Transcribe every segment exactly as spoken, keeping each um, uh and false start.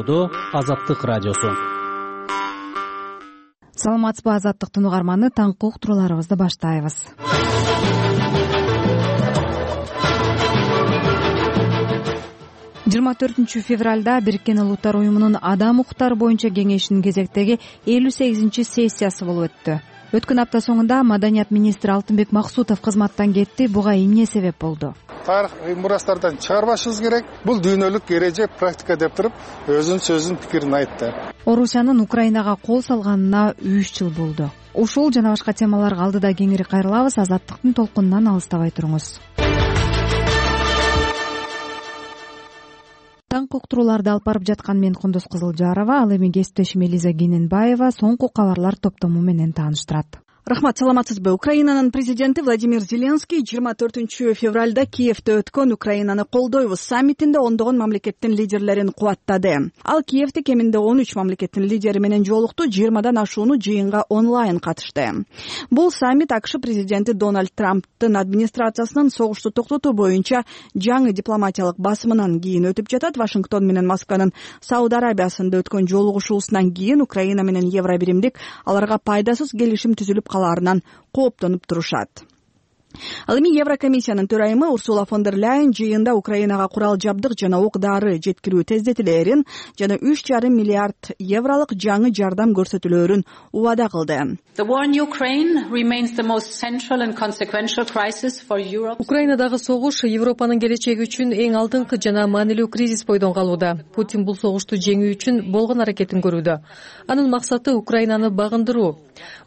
коштоодо Азаттык радиосу. Саламатсызбы, Азаттыктын угарманы, таңкы уктурууларыбызды баштайбыз. жыйырма төртүнчү февралда Бириккен Улуттар уюмунун адам укуктары боюнча кеңешинин кезектеги элүү сегизинчи сессиясы болуп өттү. Өткөн апта соңунда Маданият министри Алтынбек Максутов кызматтан кетти. Буга эмне себеп болду? Тарыхый мурастардан чыгарбашыбыз керек. Бул дүйнөлүк эреже, практика деп туруп, өзүнүн сөзүн, пикирин айтты. Орусиянын Украинага кол салганына үч жыл болду. Ушул жана башка темаларга алдыда кеңири кайрылабыз. Азаттыктын толкунунан алыстабай туруңуз. Таңкы уктурууларды алып барып жаткан мен Кундуз Кызылжарова, ал эми кесиптешим Элиза Кененбаева соңку кабарлар топтому менен тааныштырат. Рахмат, саламатсызбы. Украинанын президенти Владимир Зеленский жыйырма төртүнчү февралда Киевде өткөн Украинаны колдойбуз саммитинде ондогон мамлекеттин лидерлерин кубаттады. Ал Киевде кеминде он үч мамлекеттин лидери менен жолукту, жыйырмадан ашууну жыйынга онлайн катышты. Бул саммит АКШ президенти Дональд Трамптын администрациясынын согушту токтотуу боюнча жаңы дипломатиялык басымынан кийин өтүп жатат. Вашингтон менен Москванын Сауд Арабиясында өткөн жолугушуусунан кийин Украина менен Евробиримдик аларга пайдасыз келишим түзүлүп калаарынан кооптонуп турушат. Ал эми Еврокомиссиянын төрайымы Урсула фон дер Ляйен жыйында Украинага курал жабдык жана ок-дары жеткирүү тездетилээрин жана үч жарым миллиард евролук жаңы жардам көрсөтүлөөрүн убада кылды. Украинадагы согуш Европанын келечеги үчүн эң алдыңкы жана маанилүү кризис бойдон калууда. Путин бул согушту жеңүү үчүн болгон аракетин көрүүдө. Анын максаты Украинаны багындыруу.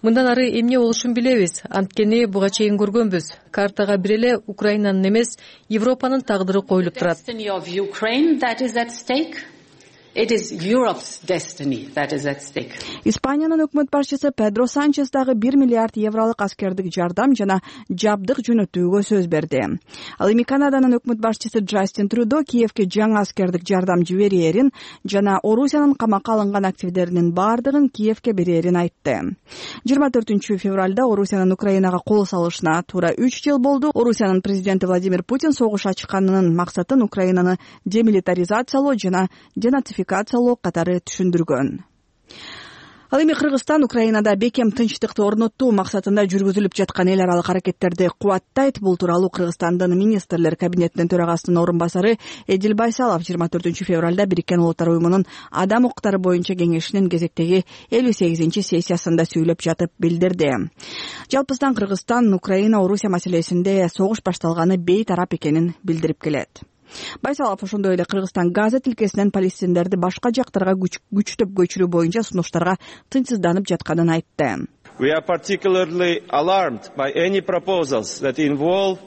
Мындан ары эмне болушун билебиз, анткени буга чейин көргөнбүз. Картага бир эле Украинанын эмес, Европанын тагдыры коюлуп турат. Испаниянын өкмөт башчысы Педро Санчес дагы бир миллиард евролук аскердик жардам жана жабдык жөнөтүүгө сөз берди. Ал эми Канаданын өкмөт башчысы Джастин Трюдо Киевге жаңы аскердик жардам жиберээрин жана Орусиянын камакка алынган активдеринин баардыгын Киевге берээрин айтты. жыйырма төртүнчү февралда Орусиянын Украинага кол салышына туура үч жыл болду. Орусиянын президенти Владимир Путин согуш ачканынын максатын Украинаны демилитаризациялоо жана денацификациялоо катары түшүндүргөн. Ал эми Кыргызстан Украинада бекем тынчтыкты орноттуу максатында жүргүзүлүп жаткан эл аралык аракеттерди кубаттайт. Бул тууралуу Кыргызстандын министрлер кабинетинин төрагасынын орун басары Эдил Байсалов жыйырма төртүнчү февралда Бириккен Улуттар уюмунун адам укуктары боюнча кеңешинин кезектеги элүү сегизинчи сессиясында сүйлөп жатып билдирди. Жалпысынан Кыргызстан Украина Орусия маселесинде согуш башталганы бейтарап экенин билдирип келет. Байсалов ошондой эле Кыргызстан Газа тилкесинен палестиндерди башка жактарга күчтөп көчүрүү боюнча сунуштарга тынчсызданып жатканын айтты. We are particularly alarmed by any proposals that involve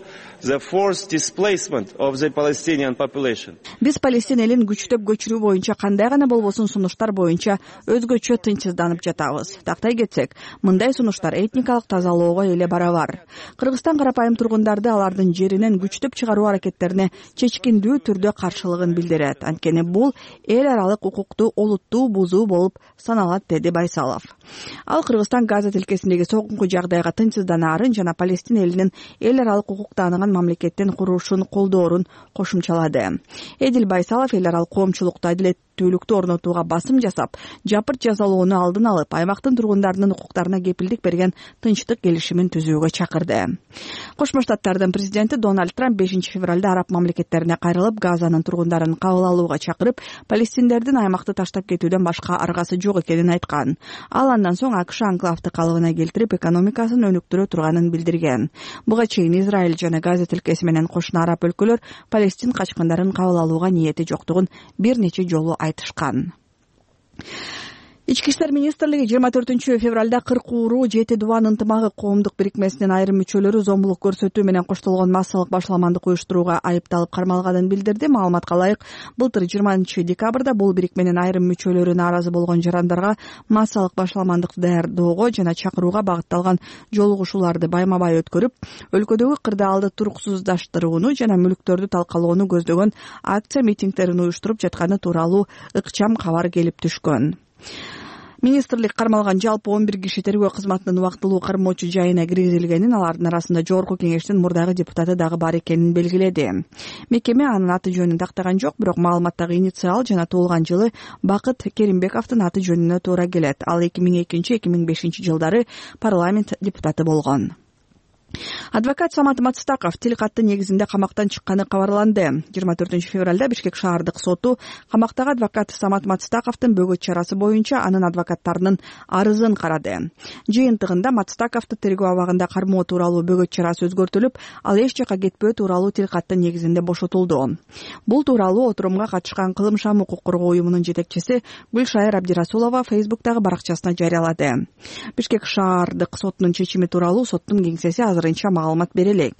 the forced displacement of the Palestinian population. Биз Палестин элин күчтөп көчүрүү боюнча кандай гана болбосун сунуштар боюнча өзгөчө тынчсызданып жатабыз. Тактай кетсек, мындай сунуштар этникалык тазалоого эле барабар. Кыргызстан карапайым тургундарды алардын жеринен күчтөп чыгаруу аракеттерине чечкиндүү түрдө каршылыгын билдирет. Анткени бул эл аралык укукту олуттуу бузуу болуп саналат, деди Байсалов. Ал Кыргызстан Газа тилкесиндеги согунку жагдайга тынчсызданаарын жана Палестин элинин эл аралык укук тааныган мамлекеттин курулушун колдоорун кошумчалады. Эдил Байсалов эл аралык коомчулукту адилеттүүлүктү орнотууга басым жасап, жапырт жазалоону алдын алып, аймактын тургундарынын укуктарына кепилдик берген тынчтык келишимин түзүүгө чакырды. Кошмо Штаттардын президенти Дональд Трамп бешинчи февралда араб мамлекеттерине кайрылып, Газанын тургундарын кабыл алууга чакырып, палестиндердин аймакты таштап кетүүдөн башка аргасы жок экенин айткан. Ал андан соң АКШ анклавды калыбына келтирип, экономикасын өнүктүрө турганын билдирген. Буга чейин Израиль жана Газа тилкеси менен кошуна араб өлкөлөр Палестин качкындарын кабыл алууга ниети жоктугун бир нече жолу айтышкан. Ички иштер министрлиги жыйырма төртүнчү февралда кырк ууру жети дубан ынтымагы коомдук бирикмесинин айрым мүчөлөрү зомбулук көрсөтүү менен коштолгон массалык башаламандык уюштурууга айыпталып кармалганын билдирди. Маалыматка ылайык, былтыр жыйырманчы декабрда бул бирикменин айрым мүчөлөрү нааразы болгон жарандарга массалык башаламандыкты даярдоого жана чакырууга багытталган жолугушууларды байма-бай өткөрүп, өлкөдөгү кырдаалды туруксуздаштырууну жана мүлктөрдү талкалоону көздөгөн акция митингдерин уюштуруп жатканы тууралуу ыкчам кабар келип түшкөн. Министрлик кармалган жалпы он бир киши тергөө кызматынын убактылуу кармоочу жайына киргизилгенин, алардын арасында Жогорку Кеңештин мурдагы депутаты дагы бар экенин белгиледи. Мекеме анын аты жөнүн тактаган жок, бирок маалыматтагы инициал жана туулган жылы Бакыт Керимбековдун аты жөнүнө туура келет. Ал эки миң экинчи эки миң бешинчи жылдары парламент депутаты болгон. Адвокат Самат Мацтаков тил каты негизинде камактан чыкканы кабарланды. жыйырма төртүнчү февралда Бишкек шаардык соту камактагы адвокат Самат Мацтаковдун бөгөт чарасы боюнча анын адвокаттарынын арызын карады. Жыйынтыгында Мацтаковду тергөө абагында кармоо тууралуу бөгөт чарасы өзгөртүлүп, ал эч жакка кетпөө тууралуу тил каты негизинде бошотулду. Бул тууралуу отурумга катышкан Кылымшам укук коргоо уюмунун жетекчиси Гүлшайыр Абдирасулова Фейсбуктагы баракчасына жарыялады. Бишкек шаардык сотунун чечими тууралуу соттун кеңсеси азырынча маалымат бере элек.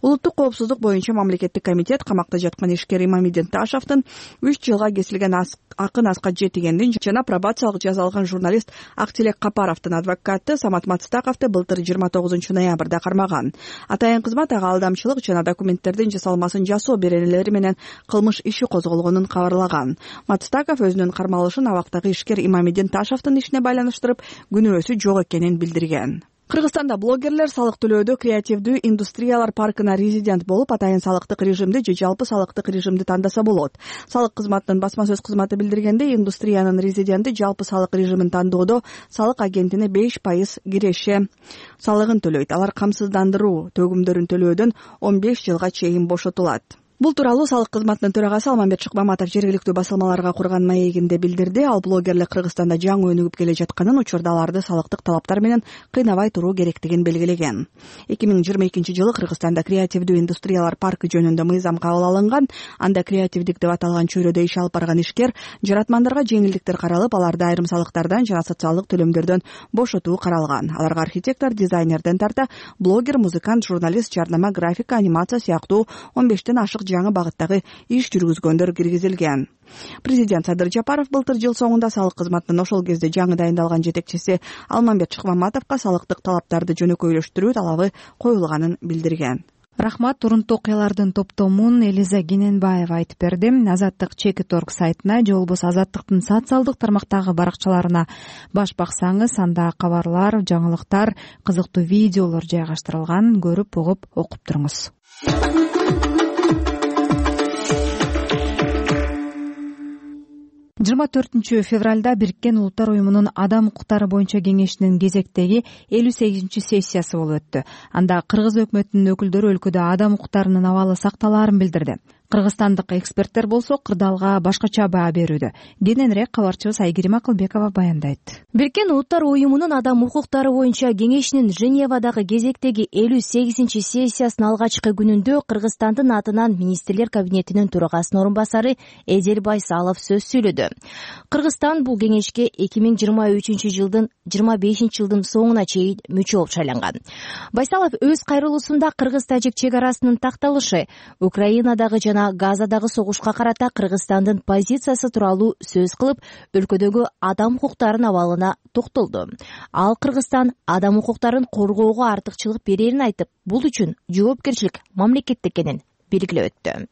Улуттук коопсуздук боюнча мамлекеттик комитет камакта жаткан ишкер Имамидин Ташевдин үч жылга кесилген акын аска жетигендин жана пробациялык жаза алган журналист Актилек Капаровдун адвокаты Самат Мацтаковду былтыр жыйырма тогузунчу ноябрда кармаган. Атайын кызмат ага алдамчылык жана документтердин жасалмасын жасоо беренелери менен кылмыш иши козголгонун кабарлаган. Мацтаков өзүнүн кармалышын абактагы ишкер Имамидин Ташевдин ишине байланыштырып, күнөөсү жок экенин билдирген. Кыргызстанда блогерлер салык төлөөдө креативдүү индустриялар паркына резидент болуп, атайын салыктык режимди же жалпы салыктык режимди тандаса болот. Салык кызматынын басма сөз кызматы билдиргенде, индустриянын резиденти жалпы салык режимин тандоодо салык агентине беш пайыз киреше салыгын төлөйт. Алар камсыздандыруу төгүмдөрүн төлөөдөн он беш жылга чейин бошотулат. Бул тууралуу салык кызматынын төрагасы Алмамбет Шыкмаматов жергиликтүү басылмаларга курган маегинде билдирди. Ал блогерлер Кыргызстанда жаңы өнүгүп келе жатканын, учурда аларды салыктык талаптар менен кыйнабай туруу керектигин белгилеген. эки миң жыйырма экинчи жылы Кыргызстанда креативдүү индустриялар паркы жөнүндө мыйзам кабыл алынган. Анда креативдик деп аталган чөйрөдө иш алып барган ишкер жаратмандарга жеңилдиктер каралып, аларды айрым салыктардан жана социалдык төлөмдөрдөн бошотуу каралган. Аларга архитектор, дизайнерден тарта блогер, музыкант, журналист, жарнама, графика, анимация сыяктуу он бештен ашык жаңы багыттагы иш жүргүзгөндөр киргизилген. Президент Садыр Жапаров былтыр жыл соңунда салык кызматынын ошол кезде жаңы дайындалган жетекчиси Алмамбет Шыкмаматовго салыктык талаптарды жөнөкөйлөштүрүү талабы коюлганын билдирген. Рахмат. Урунтуу окуялардын топтомун Элиза Гененбаева айтып берди. Азаттык Чекит точка орг сайтына же болбосо Азаттыктын социалдык тармактагы баракчаларына баш баксаңыз, анда кабарлар, жаңылыктар, кызыктуу видеолор жайгаштырылган. Көрүп, угуп, окуп туруңуз. жыйырма төртүнчү февралда Бириккен Улуттар уюмунун Адам укуктары боюнча кеңешинин кезектеги элүү сегизинчи сессиясы болуп өттү. Анда кыргыз өкмөтүнүн өкүлдөрү өлкөдө адам укуктарынын абалы сакталаарын билдирди. Кыргызстандык эксперттер болсо кырдаалга башкача баа берүүдө. Кененирээк кабарчыбыз Айгерим Акылбекова баяндайт. Бириккен Улуттар уюмунун Адам укуктары боюнча кеңешинин Женевадагы кезектеги элүү сегизинчи сессиясынын алгачкы күнүндө Кыргызстандын атынан министрлер кабинетинин төрагасынын орун басары Эдел Байсалов сөз сүйлөдү. Кыргызстан бул кеңешке эки миң жыйырма үчүнчү жылдын жыйырма бешинчи жылдын соңуна чейин мүчө болуп шайланган. Байсалов өз кайрылуусунда кыргыз-тажик чек арасынын такталышы, Украинадагы жана Газадагы согушка карата Кыргызстандын позициясы тууралуу сөз кылып, өлкөдөгү адам укуктарынын абалына токтолду. Ал Кыргызстан адам укуктарын коргоого артыкчылык берерин айтып, бул үчүн жоопкерчилик мамлекетте экенин белгилеп өттү.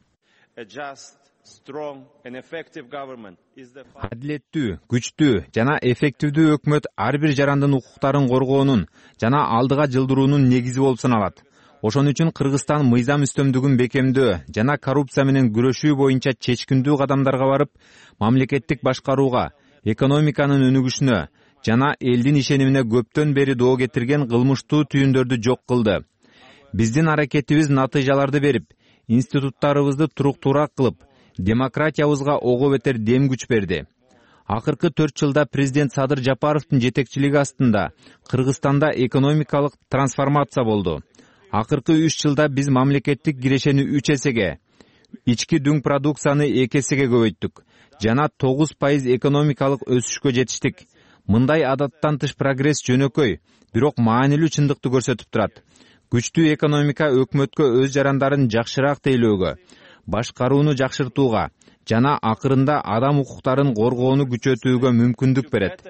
Адилеттүү, күчтүү жана эффективдүү өкмөт ар бир жарандын укуктарын коргоонун жана алдыга жылдыруунун негизи болуп саналат. Ошон үчүн Кыргызстан мыйзам үстөмдүгүн бекемдөө жана коррупция менен күрөшүү боюнча чечкиндүү кадамдарга барып, мамлекеттик башкарууга, экономиканын өнүгүшүнө жана элдин ишенимине көптөн бери доо кетирген кылмыштуу түйүндөрдү жок кылды. Биздин аракетибиз натыйжаларды берип, институттарыбызды туруктуураак кылып, демократиябызга ого бетер дем күч берди. Акыркы төрт жылда президент Садыр Жапаровдун жетекчилиги астында Кыргызстанда экономикалык трансформация болду. Акыркы үч жылда биз мамлекеттик кирешени үч эсеге, ички дүң продукцияны эки эсеге көбөйттүк жана тогуз пайыз экономикалык өсүшкө жетиштик. Мындай адаттан тыш прогресс жөнөкөй, бирок маанилүү чындыкты көрсөтүп турат. Күчтүү экономика өкмөткө өз жарандарын жакшыраак тейлөөгө, башкарууну жакшыртууга жана акырында адам укуктарын коргоону күчөтүүгө мүмкүндүк берет.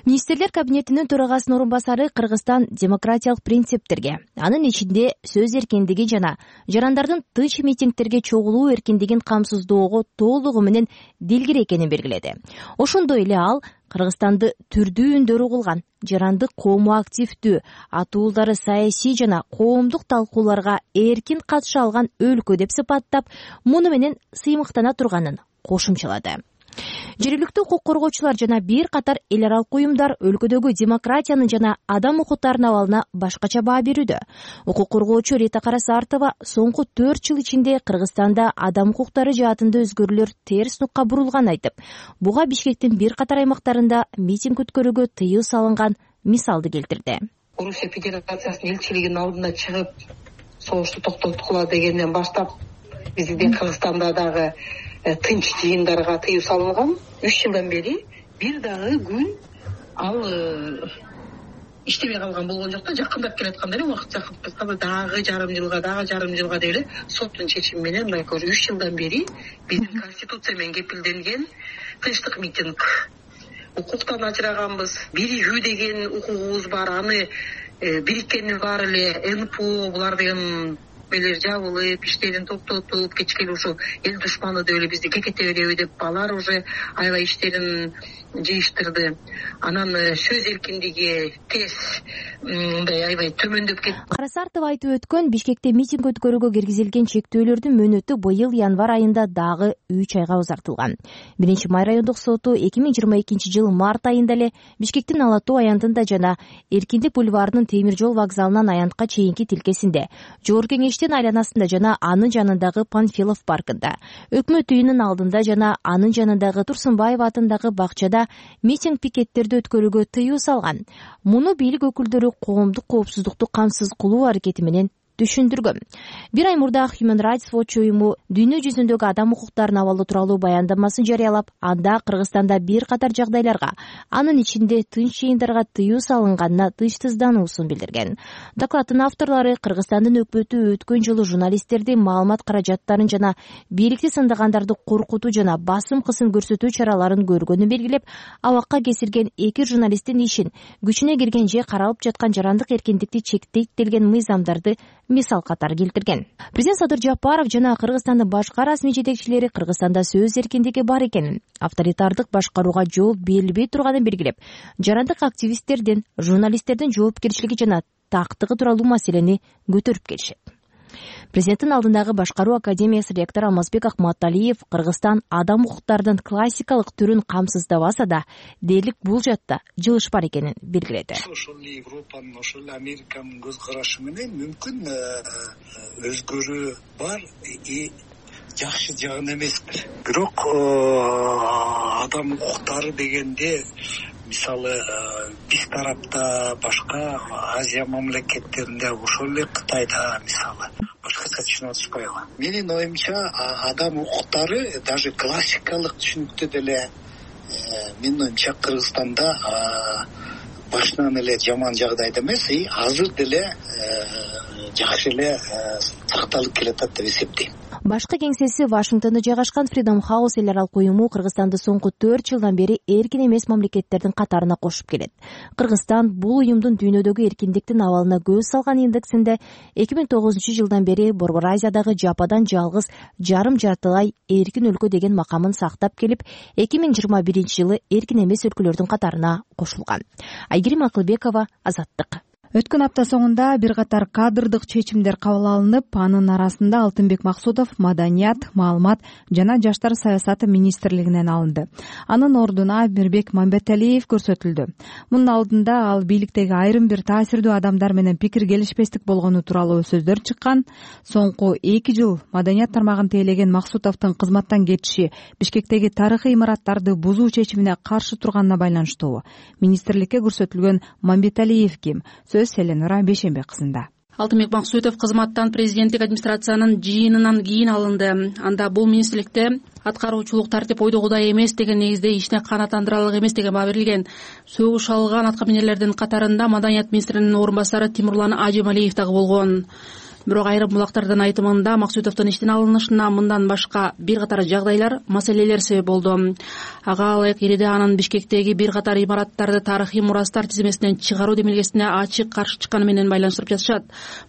Министрлер кабинетинин төрагасынын орун басары Кыргызстан демократиялык принциптерге, анын ичинде сөз эркиндиги жана жарандардын тынч митингтерге чогулуу эркиндигин камсыздоого толугу менен дилгир экенин белгиледи. Ошондой эле ал Кыргызстанды түрдүү үндөр угулган, жарандык коому активдүү, атуулдары саясий жана коомдук талкууларга эркин катыша алган өлкө деп сыпаттап, муну менен сыймыктана турганын кошумчалады. Жергиликтүү укук коргоочулар жана бир катар эл аралык уюмдар өлкөдөгү демократиянын жана адам укуктарынын абалына башкача баа берүүдө. Укук коргоочу Рита Карасартова соңку төрт жыл ичинде Кыргызстанда адам укуктары жаатында өзгөрүүлөр терс нукка бурулганын айтып, буга Бишкектин бир катар аймактарында митинг өткөрүүгө тыюу салынган мисалды келтирди. Орусия Федерациясынын элчилигинин алдына чыгып, согушту токтоткула дегенден баштап биздин Кыргызстанда дагы тынч жыйындарга тыюу салынган. Үч жылдан бери бир дагы күн ал иштебей калган болгон жок да, жакындап келатканда эле убакыт жакындап келатканда дагы жарым жылга дагы жарым жылга деп эле соттун чечими менен мындай көрү үч жылдан бери биздин конституция менен кепилденген тынчтык митинг укуктан ажыраганбыз. Биригүү деген укугубуз бар, аны бириккендин баары эле эн пэ о булар деген элер жабылып, иштерин токтотуп, кечке ушу эл душманы деп эле бизди кекете береби деп алар уже аябай иштерин жыйыштырды. Анан сөз эркиндиги тез мындай аябай төмөндөп кетти. Карасартова айтып өткөн Бишкекте митинг өткөрүүгө киргизилген чектөөлөрдүн мөөнөтү быйыл январь айында дагы үч айга узартылган. Биринчи май райондук соту эки миң жыйырма экинчи жыл март айында эле Бишкектин Ала Тоо аянтында жана Эркиндик бульварынын темир жол вокзалынан аянтка чейинки тилкесинде, Жогорку Кеңештин айланасында жана анын жанындагы Панфилов паркында, Өкмөт үйүнүн алдында жана анын жанындагы Турсунбаев атындагы бакчада митинг пикеттерди өткөрүүгө тыюу салган. Муну бийлик өкүлдөрү коомдук коопсуздукту камсыз кылуу аракети менен түшүндүргөн. Бир ай мурда Human Rights Watch уюму дүйнө жүзүндөгү адам укуктарынын абалы тууралуу баяндамасын жарыялап, анда Кыргызстанда бир катар жагдайларга, анын ичинде тынч жыйындарга тыюу салынганына тынчсыздануусун билдирген. Докладдын авторлору Кыргызстандын өкмөтү өткөн жылы журналисттерди маалымат каражаттарын жана бийликти сындагандарды коркутуу жана басым кысым көрсөтүү чараларын көргөнүн белгилеп, абакка кесирген эки журналисттин ишин күчүнө кирген же каралып жаткан жарандык эркиндикти чектейт делген мыйзамдарды мисал катары келтирген. Президент Садыр Жапаров жана Кыргызстандын башка расмий жетекчилери Кыргызстанда сөз эркиндиги бар экенин, авторитардык башкарууга жол берилбей турганын белгилеп, жарандык активисттердин, журналисттердин жоопкерчилиги жана тактыгы тууралуу маселени көтөрүп келишет. Президенттин алдындагы башкаруу академиясы ректору Алмазбек Акматалиев Кыргызстан адам укуктарынын классикалык түрүн камсыздабаса да, дээрлик бул жатта жылыш бар экенин белгиледи. Ошол Европанын, ошол Американын көз карашы менен мүмкүн өзгөрүү бар и жакшы жагын эмеспир. Бирок адам укуктары дегенде мисалы биз тарапта, башка Азия мамлекеттеринде, ошол эле Кытайда мисалы башкача түшүнүп атышпайбы? Менин оюмча адам укуктары даже классикалык түшүнүктө деле менин оюмча Кыргызстанда башынан эле жаман жагдайда эмес, и азыр деле жакшы эле сакталып келатат деп эсептейм. Башкы кеңсеси Вашингтондо жайгашкан Freedom House эл аралык уюму Кыргызстанды соңку төрт жылдан бери эркин эмес мамлекеттердин катарына кошуп келет. Кыргызстан бул уюмдун дүйнөдөгү эркиндиктин абалына көз салган индексинде эки миң тогузунчу жылдан бери Борбор Азиядагы жападан жалгыз жарым жартылай эркин өлкө деген макамын сактап келип, эки миң жыйырма биринчи жылы эркин эмес өлкөлөрдүн катарына кошулган. Айгерим Акылбекова, Азаттык. Өткөн апта соңунда бир катар кадрдык чечимдер кабыл алынып, анын арасында Алтынбек Максутов Маданият, Маалымат жана Жаштар саясаты министрлигинен алынды. Анын ордуна Мирбек Мамбеталиев көрсөтүлдү. Мунун алдында ал бийликтеги айрым бир таасирдүү адамдар менен пикир келишпестик болгону тууралуу сөздөр чыккан. Соңку эки жыл Маданият тармагын тейлеген Максутовдун кызматтан кетиши Бишкектеги тарыхый имараттарды бузуу чечимине каршы турганына байланыштуу. Министрликке көрсөтүлгөн Мамбеталиев ким? Селенура Бейшембек кызында. Алтынбек Максутов кызматтан президенттик администрациянын жыйынынан кийин алынды. Анда бул министрликте аткаруучулук тартип ойдогудай эмес деген негизде ишине канааттандыра алык эмес деген баа берилген. Сөгүш алган аткаминерлердин катарында Маданият министринин орун басары Тимурлан Ажемалиев дагы болгон. бирок айрым булактардын айтымында Максутовдун иштен алынышына мындан башка бир катар жагдайлар, маселелер себеп болду. Ага ылайык Ириде анын Бишкектеги бир катар имараттарды тарыхый мурастар тизмесинен чыгаруу демилгесине ачык каршы чыкканы менен байланыштырып жатышат.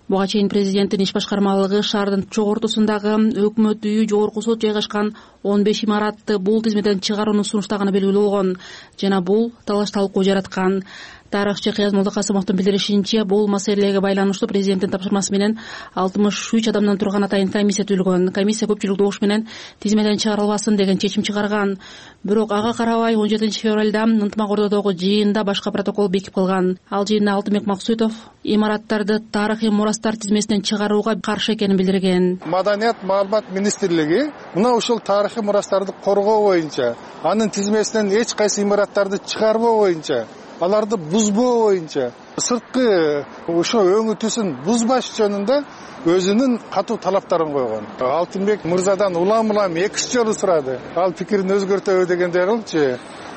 Буга чейин президенттин иш башкармалыгы шаардын чогортусундагы өкмөт үйү, жогорку сот жайгашкан он беш имаратты бул тизмеден чыгарууну сунуштаганы белгилүү болгон жана бул талаш талкуу жараткан. Тарыхчы Кыяз Молдокасымовдун билдиришинче, бул маселеге байланыштуу президенттин тапшырмасы менен алтымыш үч адамдан турган атайын комиссия түзүлгөн. Комиссия көпчүлүк добуш менен тизмеден чыгарылбасын деген чечим чыгарган. Бирок ага карабай он жетинчи февралда ынтымак ордодогу жыйында башка протокол бекип калган. Ал жыйында Алтынбек Максутов имараттарды тарыхый мурастар тизмесинен чыгарууга каршы экенин билдирген. Маданият маалымат министрлиги мына ушул тарыхый мурастарды коргоо боюнча, анын тизмесинен эч кайсы имараттарды чыгарбоо боюнча, аларды бузбоо боюнча, сырткы ошо өңүтүсүн бузбаш жөнүндө өзүнүн катуу талаптарын койгон. Алтынбек мырзадан улам улам эки жолу сурады. Ал пикирин өзгөртөбү дегендей кылчу.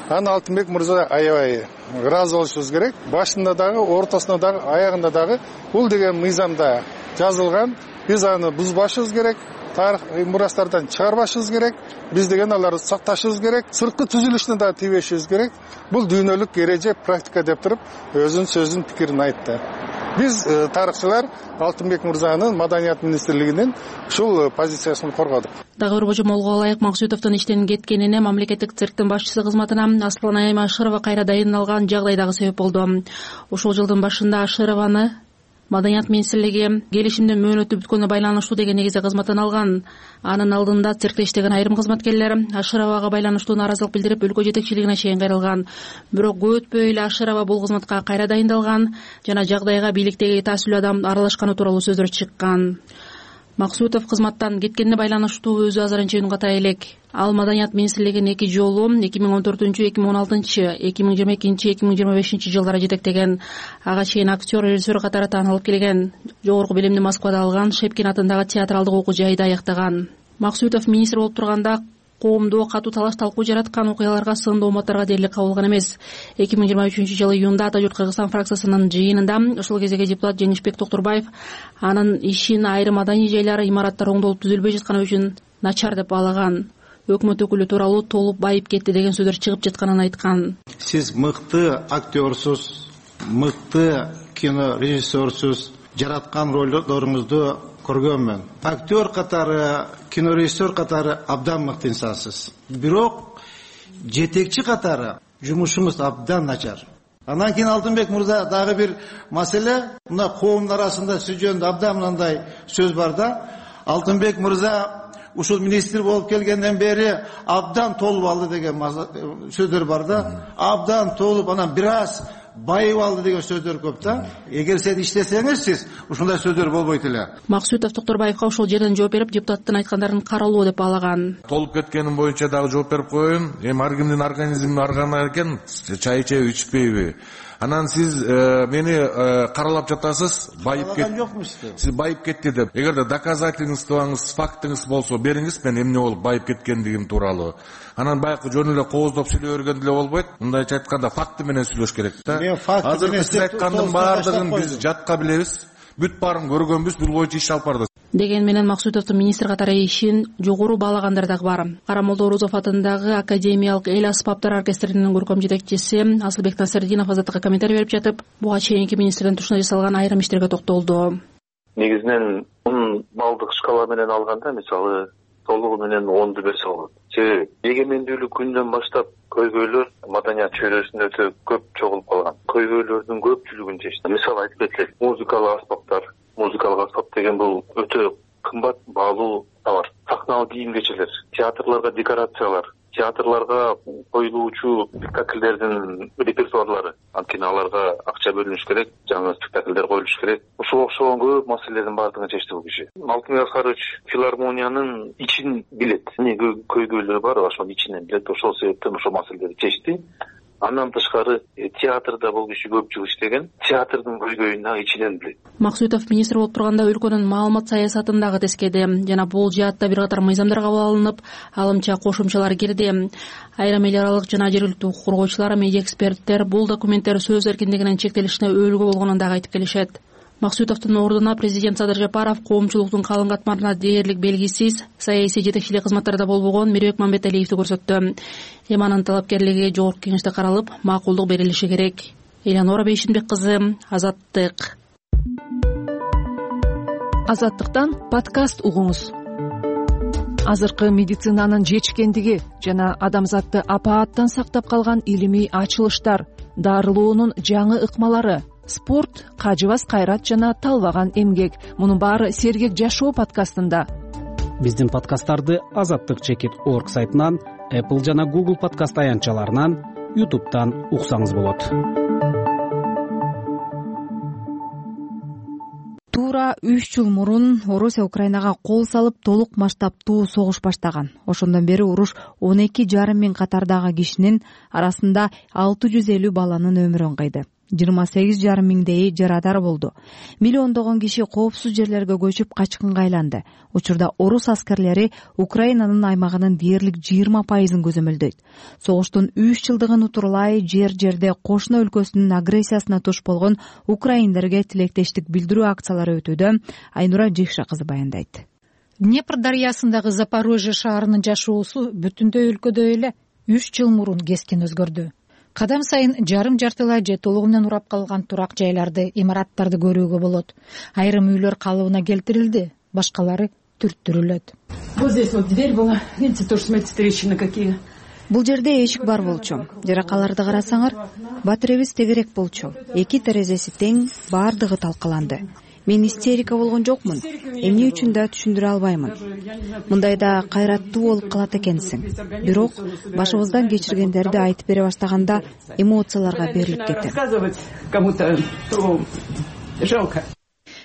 Аны Алтынбек мырза аябай ыраазы болушубуз керек. Башында дагы, ортосунда дагы, аягында дагы бул деген мыйзамда жазылган. Биз аны бузбашыбыз керек. Тарых мурастардан чыгарбашыбыз керек. Биз деген аларды сакташыбыз керек. Сырткы түзүлүшүнө да тийбешибиз керек. Бул дүйнөлүк эреже, практика деп туруп өзүнүн сөзүн пикирин айтты. Биз тарыхчылар Алтынбек мырзанын Маданият министрлигинин ушул позициясын коргодук. Дагы бир божомолго ылайык Максутовдун иштен кеткенине мамлекеттик цирктин башчысы кызматына Асланайым Ашырова кайра дайындалган жагдай дагы себеп болду. Ушул жылдын башында Ашырованы Маданият министрлиги келишимдин мөөнөтү бүткөнүнө байланыштуу деген негизде кызматтан алган. Анын алдында циркте иштеген айрым кызматкерлер Ашыровага байланыштуу нааразылык билдирип, өлкө жетекчилигине чейин кайрылган. Бирок көп өтпөй эле Ашырова бул кызматка кайра дайындалган жана жагдайга бийликтеги таасилүү адам аралашканы тууралуу сөздөр чыккан. Максутов кызматтан кеткенине байланыштуу өзү азырынча үн ката элек. Ал Маданият министрлигин эки жолу эки миң он төртүнчү, эки миң он алтынчы, эки миң жыйырма экинчи, эки миң жыйырма бешинчи жылдары жетектеген. Ага чейин актер, режиссер катары таанылып келген. Жогорку билимди Москвада алган, Шепкин атындагы театралдык окуу жайда аяктаган. Максутов министр болуп турганда коомдо катуу талаш талкуу жараткан окуяларга, сындуу уматтарга дээрлик кабылган эмес. эки миң жыйырма үчүнчү жылы июнда Ата журт Кыргызстан фракциясынын жыйынында ушул кездеги депутат Женишбек Токтурбаев анын ишин айрым маданий жайлар, имараттар оңдолуп түзүлбөй жатканы үчүн начар деп баалаган. Өкмөт өкүлү тууралуу толуп байып кетти деген сөздөр чыгып жатканын айткан. Сиз мыкты актерсуз, мыкты кинорежиссерсуз, жараткан ролдоруңузду көргөнмүн. Актер катары, кинорежиссер катары абдан мыкты инсансыз. Бирок жетекчи катары жумушуңуз абдан начар. Анан кийин Алтынбек мырза дагы бир маселе, мына коомдун арасында сиз жөнүндө абдан мындай сөз бар да. Алтынбек мырза ушул министр болуп келгенден бери абдан толуп алды деген сөздөр бар да. Абдан толуп, анан бир аз байып алды деген сөздөр көп да. Эгер сен иштесеңиз, сиз ушундай сөздөр болбойт эле. Максутов Токтурбаевга ошол жерден жооп берип, депутаттын айткандарын каралуу деп баалаган. Толуп кеткеним боюнча дагы жооп берип коеюн. Эми ар кимдин организми аргана экен, чай ичеби, ичпейби. Анан сиз э, мени э, каралап жатасыз, байып кет. Сиз байып кетти деп. Эгерде доказательствоңуз, фактыңыз болсо бериңиз, мен эмне болуп байып кеткендигим тууралуу. Анан баягы жөн эле кооздоп сүйлөй берген деле болбойт. Мындайча айтканда факты менен сүйлөш керек да. Азыр сиз айткандын баардыгын биз жатка билебиз. Бүт баарын көргөнбүз, бул боюнча иш алып бардык. Деген менен Максутовдун министр катары ишин жогору баалагандар дагы бар. Карамолдо Орозов атындагы Академиялык эл аспаптар оркестринин көркөм жетекчиси Асылбек Насырдинов азаттыкка комментарий берип жатып, буга чейинки министрдин тушуна жасалган айрым иштерге токтолду. Негизинен он балдык шкала менен алганда, мисалы толугу менен онду берсе болот. Себеби эгемендүүлүк күндөн баштап көйгөйлөр маданият чөйрөсүндө өтө көп чогулуп калган. Көйгөйлөрдүн көпчүлүгүн чечти. Мисалы айтып кетсек, музыкалык аспаптар, музыкалык аспап деген бул өтө кымбат, баалуу товар. Сахналык кийим кечелер, театрларга декорациялар, театрларга коюлуучу спектакльдердин репертуарлары, анткени аларга акча бөлүнүш керек, жаңы спектакльдер коюлуш керек. Ошого окшогон көп маселелердин баардыгын чечти бул киши. Алтынбек Аскарович филармониянын ичин билет. Эмне көйгөйлөр бар, ошонун ичинен билет. Ошол себептен ошол маселелерди чечти. Андан тышкары театрда бул киши көп жыл иштеген, театрдын көйгөйүн дагы ичинен билет. Максутов министр болуп турганда өлкөнүн маалымат саясатын дагы тескеди жана бул жаатта бир катар мыйзамдар кабыл алынып, алымча кошумчалар кирди. Айрым эл аралык жана жергиликтүү укук коргоочулар, медиа эксперттер бул документтер сөз эркиндигинин чектелишине өөлгө болгонун дагы айтып келишет. Максутовдун ордуна президент Садыр Жапаров коомчулуктун калың катмарына дээрлик белгисиз саясий жетекчилик кызматтарда болбогон Мирбек Мамбеталиевди көрсөттү. Эми анын талапкерлиги жогорку кеңеште каралып, макулдук берилиши керек. Элеонора Бейшинбек кызы, Азаттык. Азаттыктан подкаст угуңуз. Азыркы медицинанын жетишкендиги жана адамзатты апааттан сактап калган илимий ачылыштар, дарылоонун жаңы ыкмалары, спорт, кажыбас кайрат жана талбаган эмгек. Мунун баары Сергек жашоо подкастында. Биздин подкасттарды Азаттык чекит орг сайтынан, Apple жана Google подкаст аянтчаларынан, YouTube'дан уксаңыз болот. Туура үч жыл мурун Орусия Украинага кол салып, толук масштабтуу согуш баштаган. Ошондон бери уруш он эки жарым миң катардагы кишинин арасында алты жүз элүү баланын өмүрүн кыйды. жыйырма сегиз жарым миңдейи жарадар болду. Миллиондогон киши коопсуз жерлерге көчүп качкынга айланды. Учурда орус аскерлери Украинанын аймагынын дээрлик жыйырма пайызын көзөмөлдөйт. Согуштун үч жылдыгын утурлай жер-жерде кошуна өлкөсүнүн агрессиясына туш болгон украиндерге тилектештик билдирүү акциялары өтүүдө. Айнура Жекша кызы баяндайт. Днепр дарыясындагы Запорожье шаарынын жашоосу бүтүндөй өлкөдө эле үч жыл мурун кескин өзгөрдү. Кадам сайын жарым-жартылай же толугу менен урап калган турак жайларды, имараттарды көрүүгө болот. Айрым үйлөр калыбына келтирилди, башкалары түрттүрүлөт. Вот здесь вот дверь была, видите, тоже смотрите, трещины какие. Бул жерде эшик бар болчу. Жаракаларды карасаңар, батиребиз тегерек болчу. Эки терезеси тең, баардыгы талкаланды. Мен истерика болгон жокмун. Эмне үчүн да түшүндүрө албаймын. Мындайда кайраттуу болуп калат экенсиң. Бирок башыбыздан кечиргендерди айтып бере баштаганда эмоцияларга берилип кетем.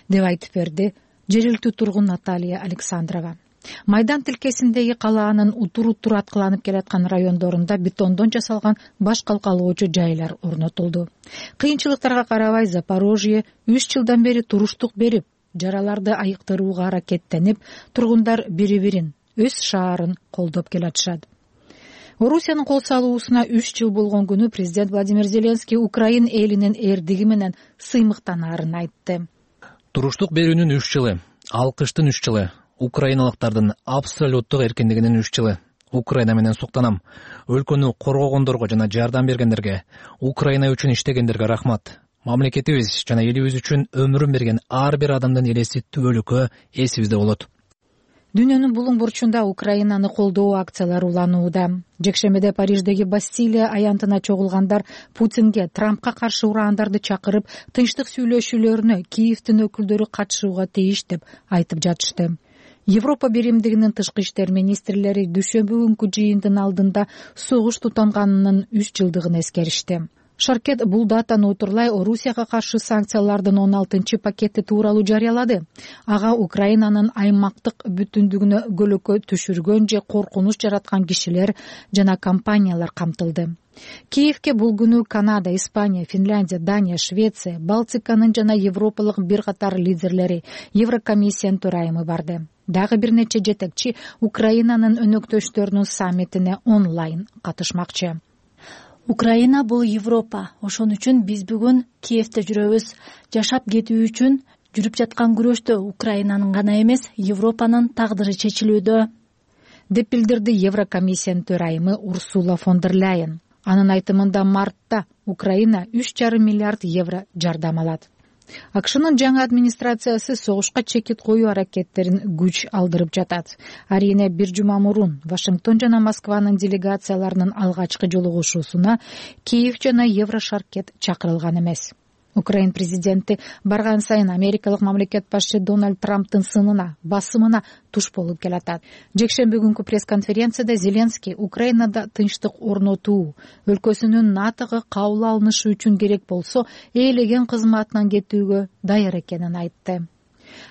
Деп айтып берди жергиликтүү тургун Наталья Александрова. Майдан тилкесиндеги калаанын утур-утур аткыланып келаткан райондорунда бетондон жасалган баш калкалоочу жайлар орнотулду. Кыйынчылыктарга карабай Запорожье үч жылдан бери туруштук берип, жараларды айыктырууга аракеттенип, тургундар бири-бирин, өз шаарын колдоп келатышат. Орусиянын кол салуусуна үч жыл болгон күнү президент Владимир Зеленский Украин элинин эрдиги менен сыймыктанаарын айтты. Туруштук берүүнүн үч жылы, алкыштын үч жылы, украиналыктардын абсолюттук эркиндигинин үч жылы. Украина менен суктанам. Өлкөнү коргогондорго жана жардам бергендерге, Украина үчүн иштегендерге рахмат. Мамлекетибиз жана элибиз үчүн өмүрүн берген ар бир адамдын элеси түбөлүккө эсибизде болот. Дүйнөнүн булуң бурчунда Украинаны колдоо акциялары уланууда. Жекшембиде Париждеги Бастилия аянтына чогулгандар Путинге, Трампка каршы ураандарды чакырып, тынчтык сүйлөшүүлөрүнө Киевдин өкүлдөрү катышууга тийиш деп айтып жатышты. Европа биримдигинин тышкы иштер министрлери дүйшөмбү күнкү жыйындын алдында согуш тутанганынын үч жылдыгын эскеришти. Шаркет бул датаны утурлай Орусияга каршы санкциялардын он алтынчы пакети тууралуу жарыялады. Ага Украинанын аймактык бүтүндүгүнө көлөкө түшүргөн же коркунуч жараткан кишилер жана компаниялар камтылды. Киевке бул күнү Канада, Испания, Финляндия, Дания, Швеция, Балтиканын жана Европалык бир катар лидерлери, Еврокомиссиянын төрайымы барды. Дагы бир нече жетекчи Украинанын өнөктөштөрүнүн саммитине онлайн катышмакчы. Украина бул Европа. Ошон үчүн биз бүгүн Киевде жүрөбүз. Жашап кетүү үчүн жүрүп жаткан күрөштө Украинанын гана эмес, Европанын тагдыры чечилүүдө, деп билдирди Еврокомиссиянын төрайымы Урсула фон дер Ляйен. Анын айтымында мартта Украина үч жарым миллиард евро жардам алат. АКШнын жаңы администрациясы согушка чекит коюу аракеттерин күч алдырып жатат. Арийне бир жума мурун Вашингтон жана Москванын делегацияларынын алгачкы жолугушуусуна Киев жана Еврошаркет чакырылган эмес. Украин президенти барган сайын америкалык мамлекет башчы Дональд Трамптын сынына, басымына туш болуп келатат. Жекшемби күнкү пресс-конференцияда Зеленский Украинада тынчтык орнотуу, өлкөсүнүн НАТОго кабыл алынышы үчүн керек болсо, ээлеген кызматынан кетүүгө даяр экенин айтты.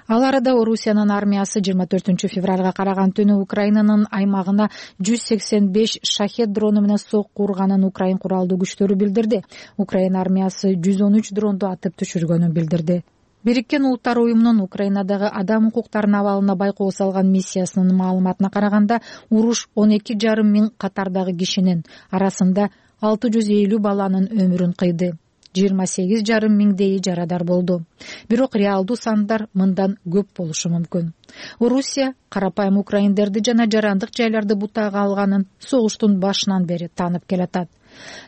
Ал арада Орусиянын армиясы жыйырма төртүнчү февралга караган түнү Украинанын аймагына жүз сексен беш шахет дрону менен сокку урганын Украин куралдуу күчтөрү билдирди. Украин армиясы жүз он үч дронду атып түшүргөнүн билдирди. Бириккен Улуттар уюмунун Украинадагы адам укуктарынын абалына байкоо салган миссиясынын маалыматына караганда, уруш он эки жарым миң катардагы кишинин арасында алты жүз элүү баланын өмүрүн кыйды. жыйырма сегиз жарым миңдейи жарадар болду. Бирок реалдуу сандар мындан көп болушу мүмкүн. Орусия карапайым украиндерди жана жарандык жайларды бутага алганын согуштун башынан бери таанып келатат.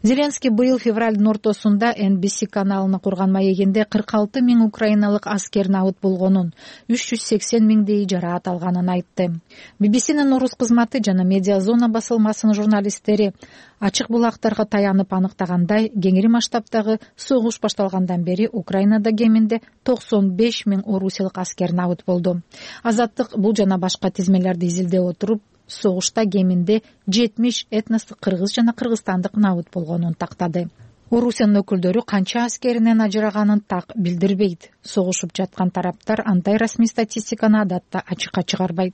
Зеленский быйыл февралдын ортосунда эн би си каналына курган маегинде кырк алты миң украиналык аскер набыт болгонун, үч жүз сексен миңдейи жараат алганын айтты. би би синин орус кызматы жана Медиа Зона басылмасынын журналисттери ачык булактарга таянып аныктагандай, кеңири масштабтагы согуш башталгандан бери Украинада кеминде токсон беш миң орусиялык аскер набыт болду. Азаттык бул жана башка тизмелерди изилдеп отуруп, согушта кеминде жетимиш этностук кыргыз жана кыргызстандык набыт болгонун тактады. Орусиянын өкүлдөрү канча аскеринен ажыраганын так билдирбейт. Согушуп жаткан тараптар андай расмий статистиканы адатта ачыкка чыгарбайт.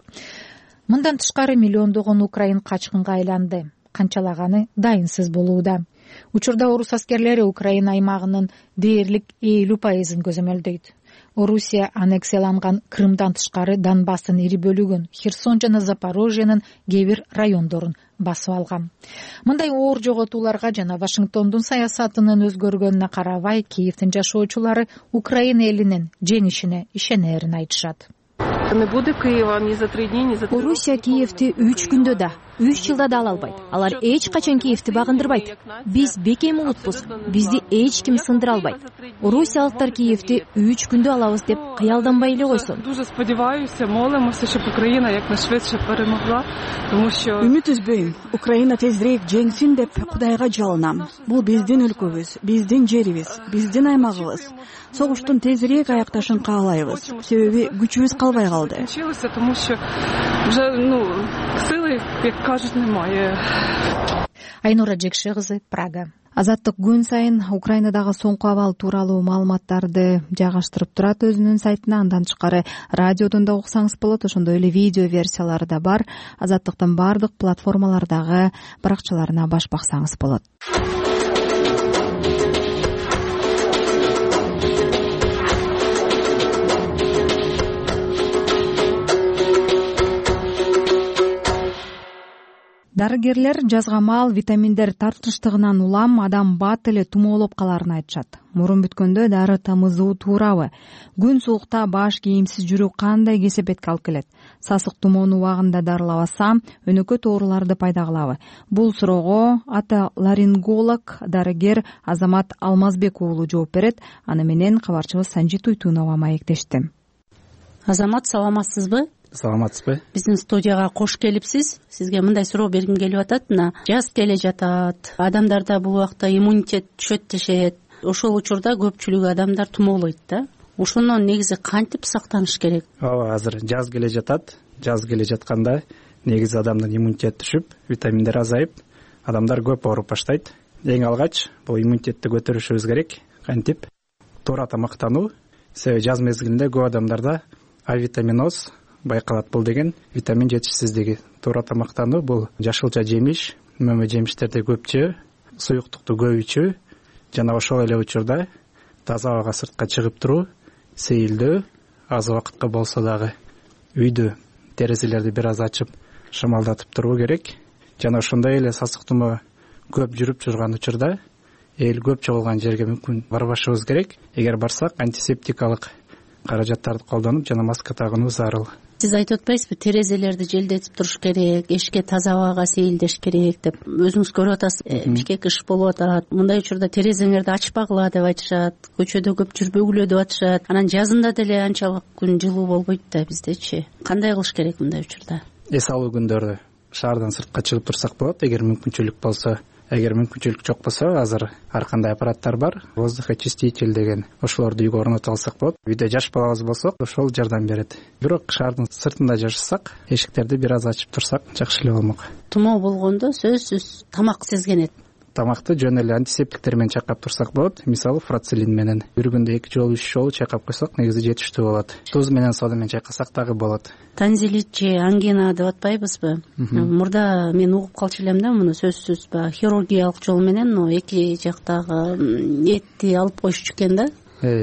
Мындан тышкары миллиондогон украин качкынга айланды. Канчалаганы дайынсыз болууда. Учурда орус аскерлери Украина аймагынын дээрлик элүү пайызын көзөмөлдөйт. Орусия аннексияланган Крымдан тышкары Донбасстын ири бөлүгүн, Херсон жана Запорожьенин кээ бир райондорун басып алган. Мындай оор жоготууларга жана Вашингтондун саясатынын өзгөргөнүнө карабай, Киевдин жашоочулары Украина элинин жеңишине ишенерин айтышат. Орусия Киевти үч күндө да, үч жылда да ала албайт. Алар эч качан Киевти багындырбайт. Биз бекем улутпуз, бизди эч ким сындыра албайт. Орусиялыктар Киевти үч күндө алабыз деп кыялданбай эле койсун. Үмүт үзбөйм. Украина тезирээк жеңсин деп Кудайга жалынам. Бул биздин өлкөбүз, биздин жерибиз, биздин аймагыбыз. Согуштун тезирээк аякташын каалайбыз. Себеби күчүбүз калбай калды. Айнура Жекше кызы, Прага. Азаттык күн сайын Украинадагы соңку абал тууралуу маалыматтарды жайгаштырып турат өзүнүн сайтына. Андан тышкары радиодон да уксаңыз болот, ошондой эле видео версиялары да бар. Азаттыктын баардык платформалардагы баракчаларына баш баксаңыз болот. Дарыгерлер жазга маал витаминдер тартыштыгынан улам адам бат эле тумоолоп каларын айтышат. Мурун бүткөндө дары тамызуу туурабы? Күн суукта баш кийимсиз жүрүү кандай кесепетке алып келет? Сасык тумоону убагында дарылабаса, өнөкөт ооруларды пайда кылабы? Бул суроого отоларинголог дарыгер Азамат Алмазбек уулу жооп берет. Аны менен кабарчыбыз Санжит Уйтунова маектешти. Азамат, саламатсызбы? Саламатсызбы? Биздин студияга кош келипсиз. Сизге мындай суроо бергим келип атат. Мына жаз келе жатат. Адамдарда бул убакта иммунитет түшөт дешет. Ошол учурда көпчүлүк адамдар тумоолойт да. Ошондон негизи кантип сактаныш керек? Ооба, азыр жаз келе жатат. Жаз келе жатканда негизи адамдын иммунитети түшүп, витаминдер азайып, адамдар көп ооруп баштайт. Эң алгач бул иммунитетти көтөрүшүбүз керек. Кантип? Туура тамактануу. Себеби жаз мезгилинде көп адамдарда авитаминоз байкалат. Бул деген витамин жетишсиздиги. Туура тамактануу бул жашылча жемиш, мөмө жемиштерди көп жөө, суюктукту көп ичүү жана ошол эле учурда таза абага сыртка чыгып туруу, сейилдөө, аз убакытка болсо дагы үйдө терезелерди бир аз ачып шамалдатып туруу керек. Жана ошондой эле сасык тумоо көп жүрүп турган учурда эл көп чогулган жерге мүмкүн барбашыбыз керек. Эгер барсак, антисептикалык каражаттарды колдонуп жана маска тагынуу зарыл. Сиз айтып атпайсызбы, терезелерди желдетип туруш керек, эшикке таза абага сейилдеш керек деп. Өзүңүз көрүп атасыз, бишке кыш болуп атат. Мындай учурда терезеңерди ачпагыла деп айтышат, көчөдө көп жүрбөгүлө деп атышат. Анан жазында деле анчалык күн жылуу болбойт да биздечи. Кандай кылыш керек мындай учурда? Эс алуу күндөрдө шаардан сыртка чыгып турсак болот, эгер мүмкүнчүлүк болсо. Эгер мүмкүнчүлүк жок болсо, азыр ар кандай аппараттар бар, воздухоочиститель деген, ошолорду үйгө орнотуп алсак болот. Үйдө жашап балабыз болсок, ошол жардам берет. Бирок шаардын сыртында жашасак, эшиктерди бир аз ачып турсак, жакшы эле болмок. Тумоо болгондо сөзсүз тамак сезгенет. Тамакты жөн эле антисептиктер менен чайкап турсак болот. Мисалы, фрацелин менен бир күндө эки жолу, үч жолу чайкап койсок, негизи жетиштүү болот. Туз менен сода менен чайкасак дагы болот. Танзилит же ангина деп атпайбызбы? Мурда мен угуп калчу элем да, муну сөзсүз баягы хирургиялык жол менен эки жактагы этти алып коюшчу экен да.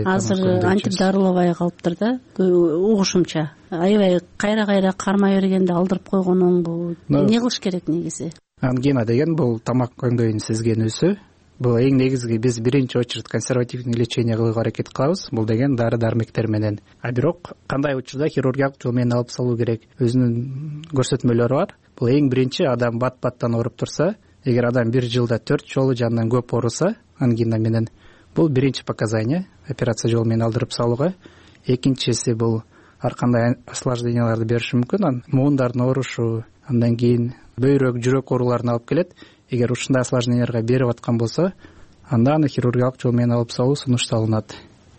Азыр антип дарылабай калыптыр да, угушумча. Аябай кайра-кайра кармай бергенде алдырып койгон оңбу. Эмне кылыш керек негизи? Ангина деген бул тамак көңдөйүн сезгенүүсү. бул эң негизги биз биринчи очередь консервативный лечение кылууга аракет кылабыз, бул деген дары дармектер менен. А бирок кандай учурда хирургиялык жол менен алып салуу керек, өзүнүн көрсөтмөлөрү бар. Бул эң биринчи, адам бат баттан ооруп турса, эгер адам бир жылда төрт жолу же андан көп ооруса ангина менен, бул биринчи показание операция жол менен алдырып салууга. Экинчиси бул ар кандай осложненияларды бериши мүмкүн, муундардын оорушу, андан кийин бөйрөк, жүрөк ооруларына алып келет. Эгер ушундай осложненияларга берип аткан болсо, анда аны хирургиялык жол менен алып салуу сунушталынат.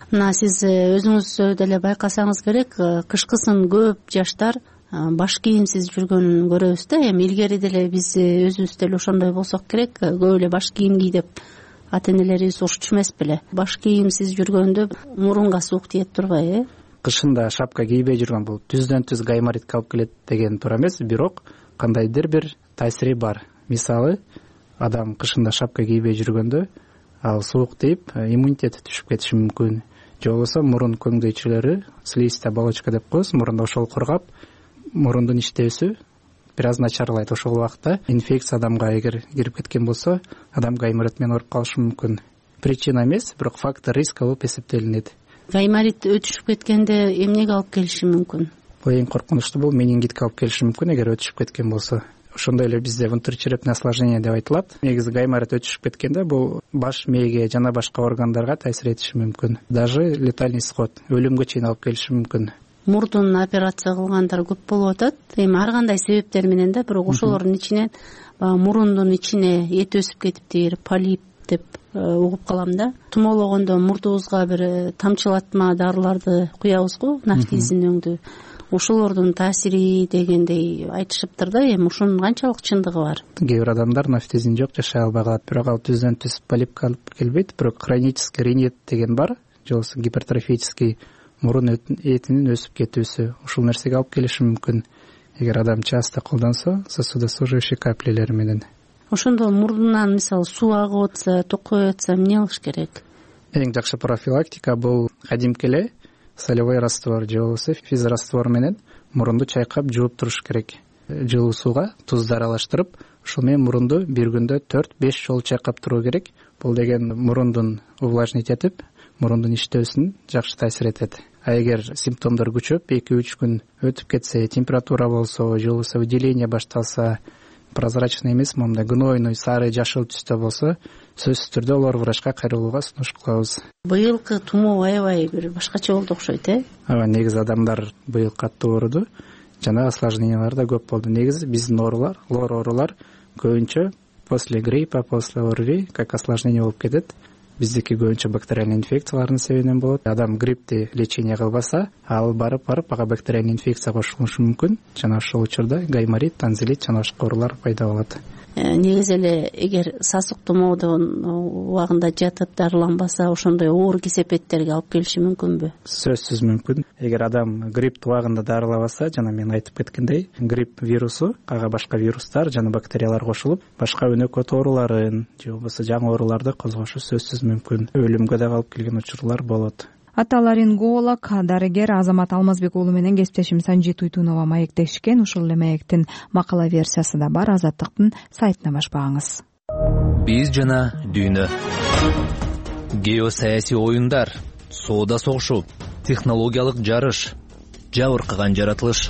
Мына сиз өзүңүз деле байкасаңыз керек, кышкысын көп жаштар баш кийимсиз жүргөнүн көрөбүз да. Эми илгери деле биз өзүбүз деле ошондой болсок керек, көп эле баш кийим ки деп ата энелерибиз урушчу эмес беле. Баш кийимсиз жүргөндө мурунга суук тиет турбайбы? Кышында шапка кийбей жүргөн бул түздөн түз гайморитке алып келет деген туура эмес, бирок кандайдыр бир таасири бар. Мисалы, адам кышында шапка кийбей жүргөндө ал суук тийип, иммунитети түшүп кетиши мүмкүн. Же болбосо мурун көңдөйчөлөрү, слизистая оболочка деп коебуз, мурунда ошол кургап, мурундун иштөөсү бир аз начарлайт. Ошол убакта инфекция адамга эгер кирип кеткен болсо, адам гайморит менен ооруп калышы мүмкүн. Причина эмес, бирок фактор риска болуп эсептелинет. Гайморит өтүшүп кеткенде эмнеге алып келиши мүмкүн? Бул эң коркунучтуу, бул менингитке алып келиши мүмкүн эгер өтүшүп кеткен болсо. Ошондой эле бизде внутричерепное осложнение деп айтылат. Негизи гайморит өтүшүп кеткенде бул баш мээге жана башка органдарга таасир этиши мүмкүн. Даже летальный исход, өлүмгө чейин алып келиши мүмкүн. Мурдун операция кылгандар көп болуп атат. Эми ар кандай себептер менен да, бирок ошолордун ичинен баягы мурундун ичине эт өсүп кетиптир, полип деп угуп калам да. Тумоологондо мурдубузга бир тамчылатма дарыларды куябыз го, нафтизин өңдүү. Ошолордун таасири дегендей айтышыптыр да. Эми ушунун канчалык чындыгы бар? Кээ бир адамдар нафтизин жок, жашай албай калат, бирок ал түздөн түз полипке алып келбейт. Бирок хронический ринит деген бар, же болбосо гипертрофический мурун этинин өсүп кетүүсү, ушул нерсеге алып келиши мүмкүн эгер адам часто колдонсо сосудосуживающий каплелер менен. Ошондо мурдунан мисалы суу агып атса, токой атса эмне кылыш керек? Эң жакшы профилактика бул кадимки эле солевой раствор же болбосо физраствор менен мурунду чайкап жууп туруш керек. Жылуу сууга тузду аралаштырып, ошол менен мурунду бир күндө төрт беш жолу чайкап туруу керек. Бул деген мурундун увлажнить этип, мурундун иштөөсүн жакшы таасир этет. А эгер симптомдор күчөп, эки үч күн өтүп кетсе, температура болсо, же болбосо выделение башталса, прозрачный эмес, моундай гнойный, сары, жашыл түстө болсо, сөзсүз түрдө олор врачка кайрылууга сунуш кылабыз. Быйылкы тумоо аябай бир башкача болду окшойт, э? Ооба, негизи адамдар быйыл катуу ооруду, жана осложнениялар да көп болду. Негизи биздин оорулар, лор оорулар көбүнчө после гриппа, после ОРВИ как осложнение болуп кетет. Биздики көбүнчө бактериальный инфекциялардын себебинен болот. Адам гриппти лечение кылбаса, ал барып барып ага бактериальный инфекция кошулушу мүмкүн. Жана ошол учурда гайморит, танзилит жана башка оорулар пайда болот. Негизи эле эгер сасык тумоодон убагында жатып дарыланбаса, ошондой оор кесепеттерге алып келиши мүмкүнбү? Сөзсүз мүмкүн. Эгер адам грипп убагында дарылабаса, жана мен айтып кеткендей, грипп вирусу ага башка вирустар жана бактериялар кошулуп, башка өнөкөт ооруларын же болбосо жаңы ооруларды козгошу сөзсүз мүмкүн. Өлүмгө да алып келген учурлар болот. Аталаринголог, дарыгер Азамат Алмазбек уулу менен кесиптешим Санжи Туйтунова маектешкен. Ушул эле маектин макала версиясы да бар, Азаттыктын сайтына баш багыңыз. Биз жана дүйнө. Геосаясий оюндар, соода согушу, технологиялык жарыш, жабыркаган жаратылыш.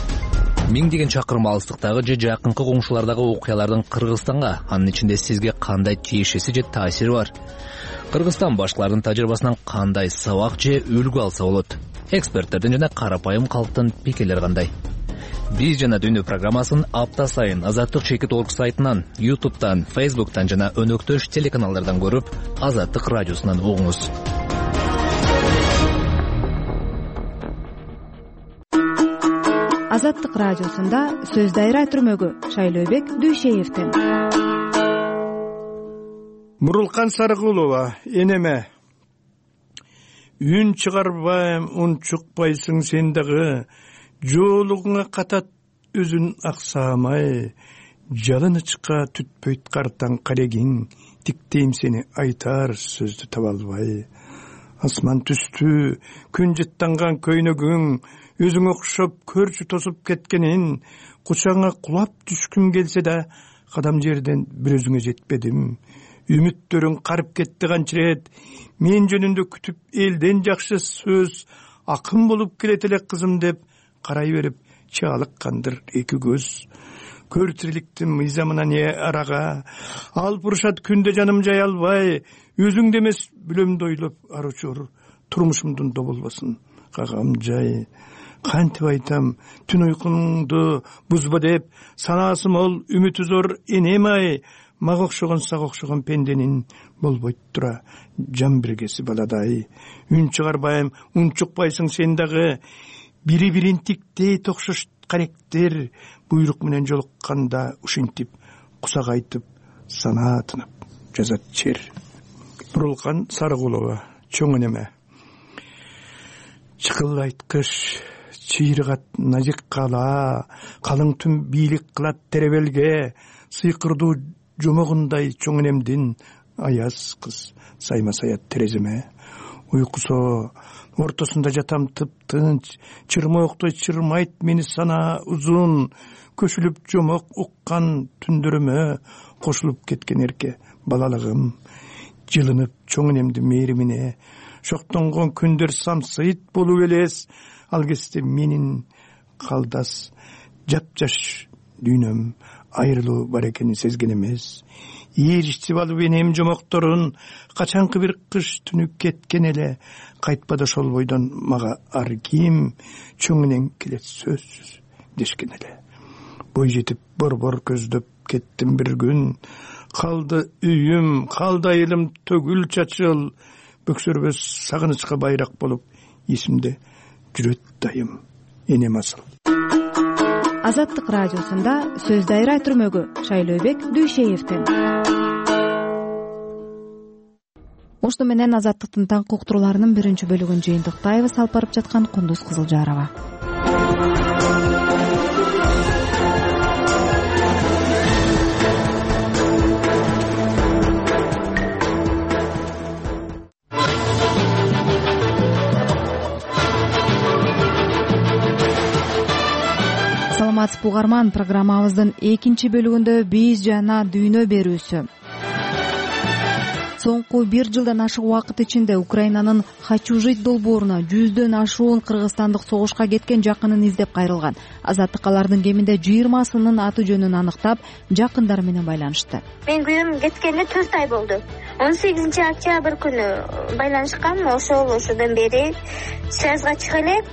Миңдеген чакырым алыстыктагы же жакынкы коңшулардагы окуялардын Кыргызстанга, анын ичинде сизге кандай тиешеси же таасири бар? Кыргызстан башкалардын тажрыйбасынан кандай сабак же үлгү алса болот? Эксперттердин жана карапайым калктын пикирлери кандай? Биз жана дүйнө программасын апта сайын Азаттык чекит точка орг сайтынан, ютубтан, фейсбуктан жана өнөктөш телеканалдардан көрүп, Азаттык радиосунан угуңуз. Азаттык радиосунда сөз дайра түрмөгү Шайлообек Дүйшеевден. Мурулкан Сарыкулова, энеме. Үн чыгарбайм, ун чукпайсың сен дагы, жоолугуңа катат өзүн аксамай, жалынычка түтпөйт картаң карегиң, тиктейм сени айтар сөздү таба албай. Асман түстү, күн жыттанган көйнөгүң, өзүң окшоп көрчү тосуп кеткенин, кучаңа кулап түшкүм келсе да, кадам жерден бир өзүңө жетпедим. үмүттөрүң карып кетти канчырет. Мен жөнүндө күтүп элден жакшы сөз акын болуп келет эле кызым деп карай берип чаалыккандыр эки көз. Көр тириликтин мыйзамына не арага, алып урушат күндө жаным жай албай, өзүңдө эмес бүлөмдү ойлоп аручур, турмушумдун доболбосун кагам жай. Кантип айтам, түн уйкуңду бузба деп, санаасы мол үмүтү зор энем ай, мага окшогон сага окшогон пенденин болбойт тура жан биргеси баладай. Үн чыгарбайм, унчукпайсың сен дагы, бири бирин тиктей токшош каректер, буйрук менен жолукканда ушинтип кусак айтып санаа тынып жазат чер. Нурулкан Сарыкулова, чоң энеме. Чыкылайт кыш, чыйрыгат назик кала, калың түн бийлик кылат теребелге, сыйкырдуу жомогундай чоң энемдин аяз кыз сайма саят тереземе. Уйкусо ортосунда жатам тып-тынч, чырмооктой чырмайт мени сана узун, көшүлүп жомок уккан түндөрүмө кошулуп кеткен эрке балалыгым. Жылынып чоң энемдин мээримине, шоктонгон күндөр самсыйт болуп элес, ал кезде менин калдас жапжаш дүйнөм айрылуу бар экенин сезген эмес. Ээричтип алып энем жомокторун, качанкы бир кыш түнү кеткен эле, кайтпады ошол бойдон мага ар ким, чоң энең келет сөзсүз дешкен эле. Бой жетип борбор көздөп кеттим бир күн, калды үйүм, калды айылым төгүл чачыл, бөксөрбөс сагынычка байрак болуп эсимде жүрөт дайым энем асыл. Азаттык радиосунда сөз дайра түрмөгү Шайлообек Дүйшеевден. Ошто менен Азаттыктын таңкы уктурууларынын биринчи бөлүгүн жыйынтыктайбыз. Алып барып жаткан Кундуз Кызылжарова. Саламатсызбы угарман, программабыздын экинчи бөлүгүндө биз жана дүйнө берүүсү. Соңку бир жылдан ашык убакыт ичинде Украинанын Хачужит долбооруна жүздөн ашуун кыргызстандык согушка кеткен жакынын издеп кайрылган. Азаттык алардын кеминде жыйырмасынын аты жөнүн аныктап, жакындары менен байланышты. Мен күйөөм кеткенине төрт ай болду. он сегизинчи октябрь күнү байланышкан. Ошол ошодон бери связга чыга элек.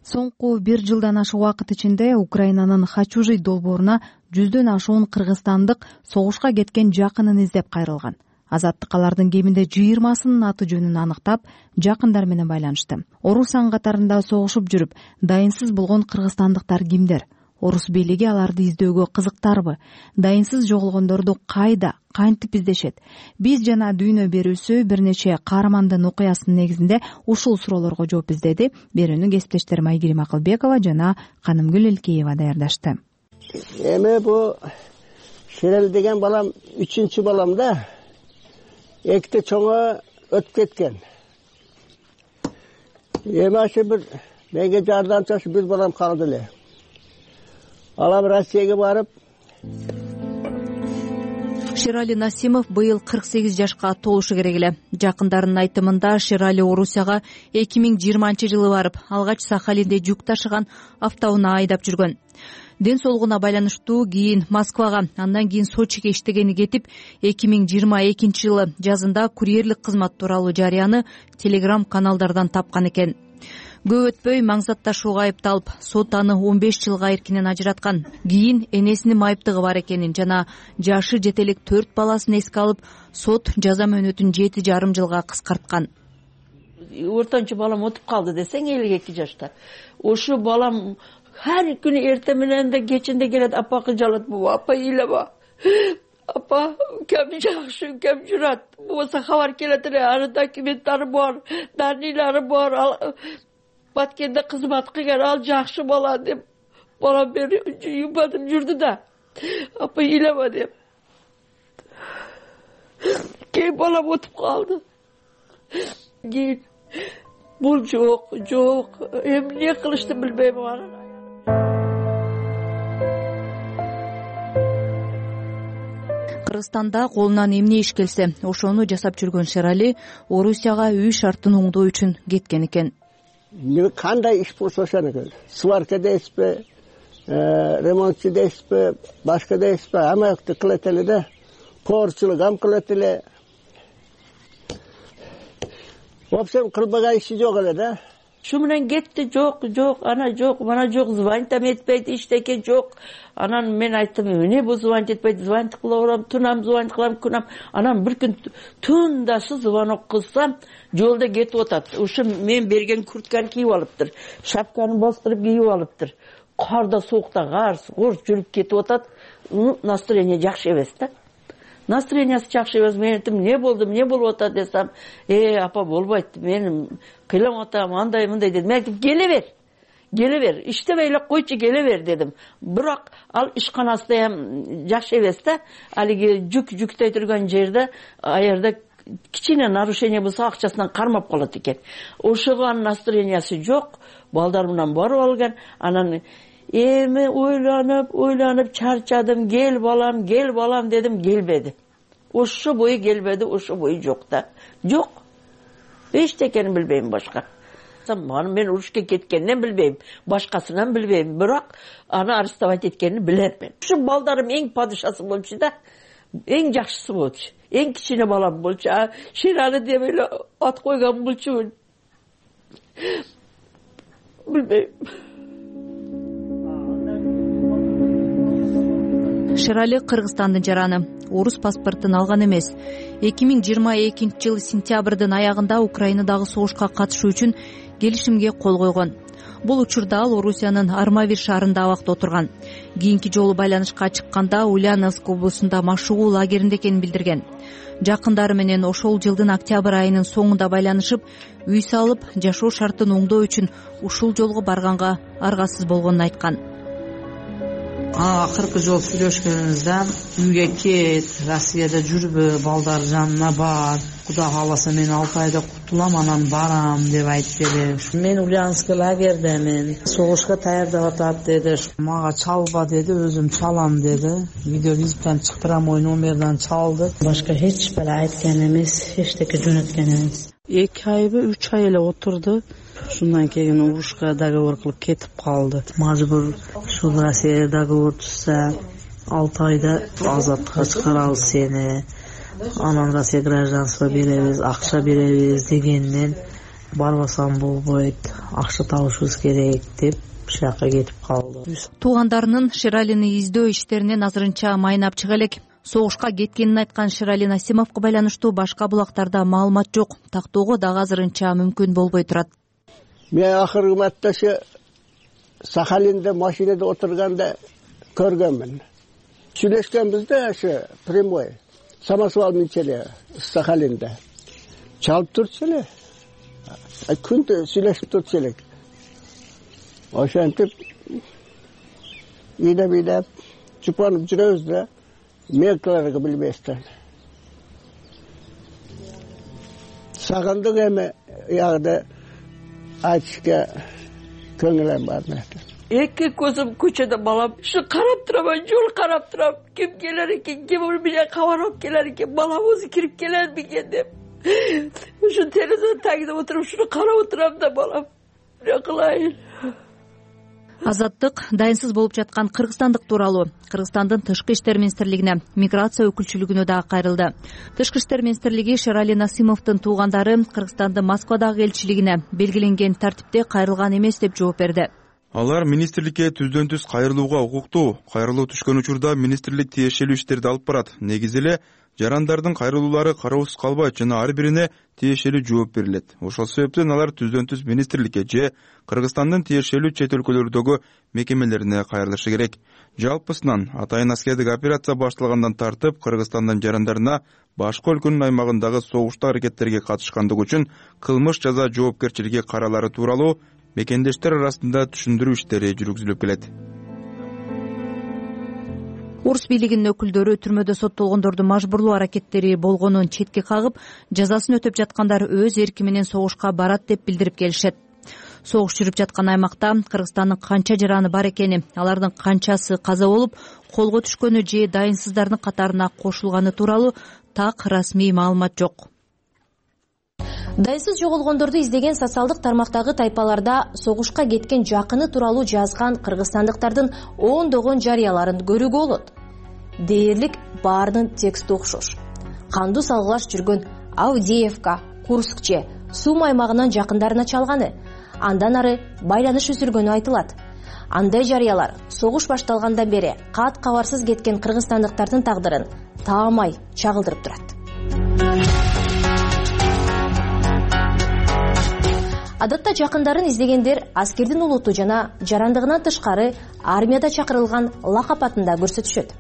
Соңку бир жылдан ашык убакыт ичинде Украинанын Хачужит долбооруна жүздөн ашуун кыргызстандык согушка кеткен жакынын издеп кайрылган. Азаттык алардын кеминде жыйырмасынын аты жөнүн аныктап, жакындар менен байланышты. Орус ан катарында согушуп жүрүп, дайынсыз болгон кыргызстандыктар кимдер? Орус бийлиги аларды издөөгө кызыктарбы? Дайынсыз жоголгондорду кайда, кантип издешет? Биз жана дүйнө берүүсү бир нече каармандын окуясынын негизинде ушул суроолорго жооп издеди. Берүүнү кесиптештерим Айгерим Акылбекова жана Канымгүл Элкеева даярдашты. Эми бу Шерел деген балам үчүнчү балам да. Экте чоңо өтүп кеткен. Эми ашы бир менге жардамчасы бир балам калды эле. Алам Россияга барып. Шерали Насимов быйыл кырк сегиз жашка толушу керек эле. Жакындарынын айтымында Шерали Орусияга эки миң жыйырманчы жылы барып, алгач Сахалинде жүк ташыган автоунаа айдап жүргөн. Ден соолугуна байланыштуу кийин Москвага, андан кийин Сочиге иштегени кетип, эки миң жыйырма экинчи жылы жазында курьерлик кызмат тууралуу жарыяны телеграм каналдардан тапкан экен. Көп өтпөй маңзатташууга айыпталып, сот аны он беш жылга эркинен ажыраткан. Кийин энесинин майыптыгы бар экенин жана жашы жете элек төрт баласын эске алып, сот жаза мөөнөтүн жети жарым жылга кыскарткан. Ортончу балам отуп калды десең, элүү эки жашта. Ошо балам ар күнү эрте менен да кечинде келет, апа кыжалат, бу апа ыйлаба. Апа, кем жакшы, кем журат. Болсо кабар келет эле, аны документтары бар, даныйлары бар. Баткенде кызмат кылган, ал жакшы бала деп балам бери юбадым жүрдү да. Апа ыйлаба деп. Кийин балам отуп калды. Кийин бул жок, жок. Эми эмне кылышты билбейм аны. Кыргызстанда колунан эмне иш келсе ошону жасап жүргөн Шерали Орусияга үй шартын оңдоо үчүн кеткен экен. Кандай иш болсо ошону сварка дейсизби, ремонтчу дейсизби, башка дейсизби, амакты кылат эле да, поорчулук ам кылат эле. В общем, кылбаган иши жок эле да. Şu менен кетти, жок, жок, ана жок, мана жок, звонить да этпейт, иштеке жок. Анан мен айттым, эмне бул звонить этпейт, звонить кыла берем, тунам звонить кылам, күнам. Анан бир күн тундашы звонок кылсам, жолдо кетип атат. Ушу мен берген куртканы кийип алыптыр. Шапканы бастырып кийип алыптыр. Карда, соокта, кар, кор жүрүп кетип атат. Настроение жакшы эмес да. Настроениясы жакшы эмес. Мен айттым, эмне болду, эмне болуп атат десем, э, апа болбойт, мен кыйлам атам, андай мындай дедим. Мен айттым, келе бер. Келе бер. Иштебей эле койчу, келе бер дедим. Бирок ал ишканасы эм жакшы эмес да. Алиги жүк жүктөй турган жерде аерде кичине нарушение болсо акчасынан кармап калат экен. Ошого анын настроениясы жок. Балдар менен барып алган. Анан эми ойланып, ойланып чарчадым. Кел балам, кел балам дедим, келбеди. Ошо бою келбеди, ошо бою жок да. Жок. Эчтекени билбейм башка. Аны мен урушка кеткенин билбейм, башкасынан билбейм, бирок аны арестовать эткенин билем мен. Ушу балдарым эң падышасы болчу да, эң жакшысы болчу, эң кичине балам болчу. Шерали деп эле ат койгон болчу. Билбейм. Шерали Кыргызстандын жараны, орус паспортун алган эмес. эки миң жыйырма экинчи жылы сентябрдын аягында Украинадагы согушка катышуу үчүн келишимге кол койгон. Бул учурда ал Орусиянын Армавир шаарында абакта отурган. Кийинки жолу байланышка чыкканда Ульяновск облусунда машыгуу лагеринде экенин билдирген. Жакындары менен ошол жылдын октябрь айынын соңунда байланышып, үй салып, жашоо шартын оңдоо үчүн ушул жолго барганга аргасыз болгонун айткан. Акыркы жолу сүйлөшкөнүбүздө үйгө кет, Россияда жүрбө, балдар жанына бар, Кудай кааласа мен алты айда кутулам, анан барам деп айтып эле. Мен Ульяновск лагердемин, согушка даярдап атат деди. Мага чалба деди, өзүм чалам деди. Видеовизиттен чыктырам, мой номерден чалды. Башка эч бир айткан эмес, эчтеке жөнөткөн эмес. эки айбы, үч ай эле отурду. Шундан кийин урушка договор кылып кетип калды. Мажбур ушул Россия договор түзсө, алты айда азаттыкка чыгарабыз сени. Анан Россия гражданство беребиз, акча беребиз дегенден барбасам болбойт, акча табышыбыз керек деп шаякка кетип калды. Туугандарынын Шералини издөө иштеринен азырынча майнап чыга элек. Согушка кеткенин айткан Шерали Насимовго байланыштуу башка булактарда маалымат жок. Тактоого дагы азырынча мүмкүн болбой турат. Мен акыркы матташы Сахалинде машинада отурганда көргөнмүн. Сүйлөшкөнбүз да, ошо прямой. Самосвал минчеле Сахалинде. Чалып турчу эле. Күндө сүйлөшүп турчу элек. Ошентип ийдеп-ийдеп чупанып жүрөбүз да, меркаларга билбестен. Сагындык эми ягда айтышка көңүлүм бар мен. Эки көзүм көчөдө балам. Ушу карап турам, жол карап турам. Ким келер экен, ким менен кабар алып келер экен, балам өзү кирип келер бекен деп. Ушу терезенин тагында отуруп, ушуну карап турам да балам. Эмне кылайын? Азаттык дайынсыз болуп жаткан кыргызстандык тууралуу Кыргызстандын Тышкы иштер министрлигине, миграция өкүлчүлүгүнө дагы кайрылды. Тышкы иштер министрлиги Шерали Насимовдун туугандары Кыргызстандын Москвадагы элчилигине белгиленген тартипте кайрылган эмес деп жооп берди. Алар министрликке түздөн түз кайрылууга укуктуу. Кайрылуу түшкөн учурда министрлик тиешелүү иштерди алып барат. Негизи эле жарандардын кайрылуулары кароосуз калбайт жана ар бирине тиешелүү жооп берилет. Ошол себептен алар түздөн түз министрликке же Кыргызстандын тиешелүү чет өлкөлөрдөгү мекемелерине кайрылышы керек. Жалпысынан атайын аскердик операция башталгандан тартып Кыргызстандын жарандарына башка өлкөнүн аймагындагы согуштуу аракеттерге катышкандыгы үчүн кылмыш жаза жоопкерчилиги каралары тууралуу мекендештер арасында түшүндүрүү иштери жүргүзүлүп келет. Орус бийлигинин өкүлдөрү түрмөдө соттолгондордун мажбурлоо аракеттери болгонун четке кагып, жазасын өтөп жаткандар өз эрки менен согушка барат деп билдирип келишет. согуш жүрүп жаткан аймакта Кыргызстандын канча жараны бар экени, алардын канчасы каза болуп, колго түшкөнү же дайынсыздардын катарына кошулганы тууралуу так расмий маалымат жок. Дайынсыз жоголгондорду издеген социалдык тармактагы тайпаларда согушка кеткен жакыны тууралуу жазган кыргызстандыктардын ондогон жарыяларын көрүүгө болот. Дээрлик баарынын тексти окшош. Кандуу салгылаш жүргөн Авдеевка, Курск же Сум аймагынан жакындарына чалганы, андан ары байланыш үзүлгөнү айтылат. Андай жарыялар согуш башталгандан бери кат кабарсыз кеткен кыргызстандыктардын тагдырын таамай чагылдырып турат. Адатта жакындарын издегендер аскердин улуту жана жарандыгынан тышкары армияда чакырылган лакап атында көрсөтүшөт.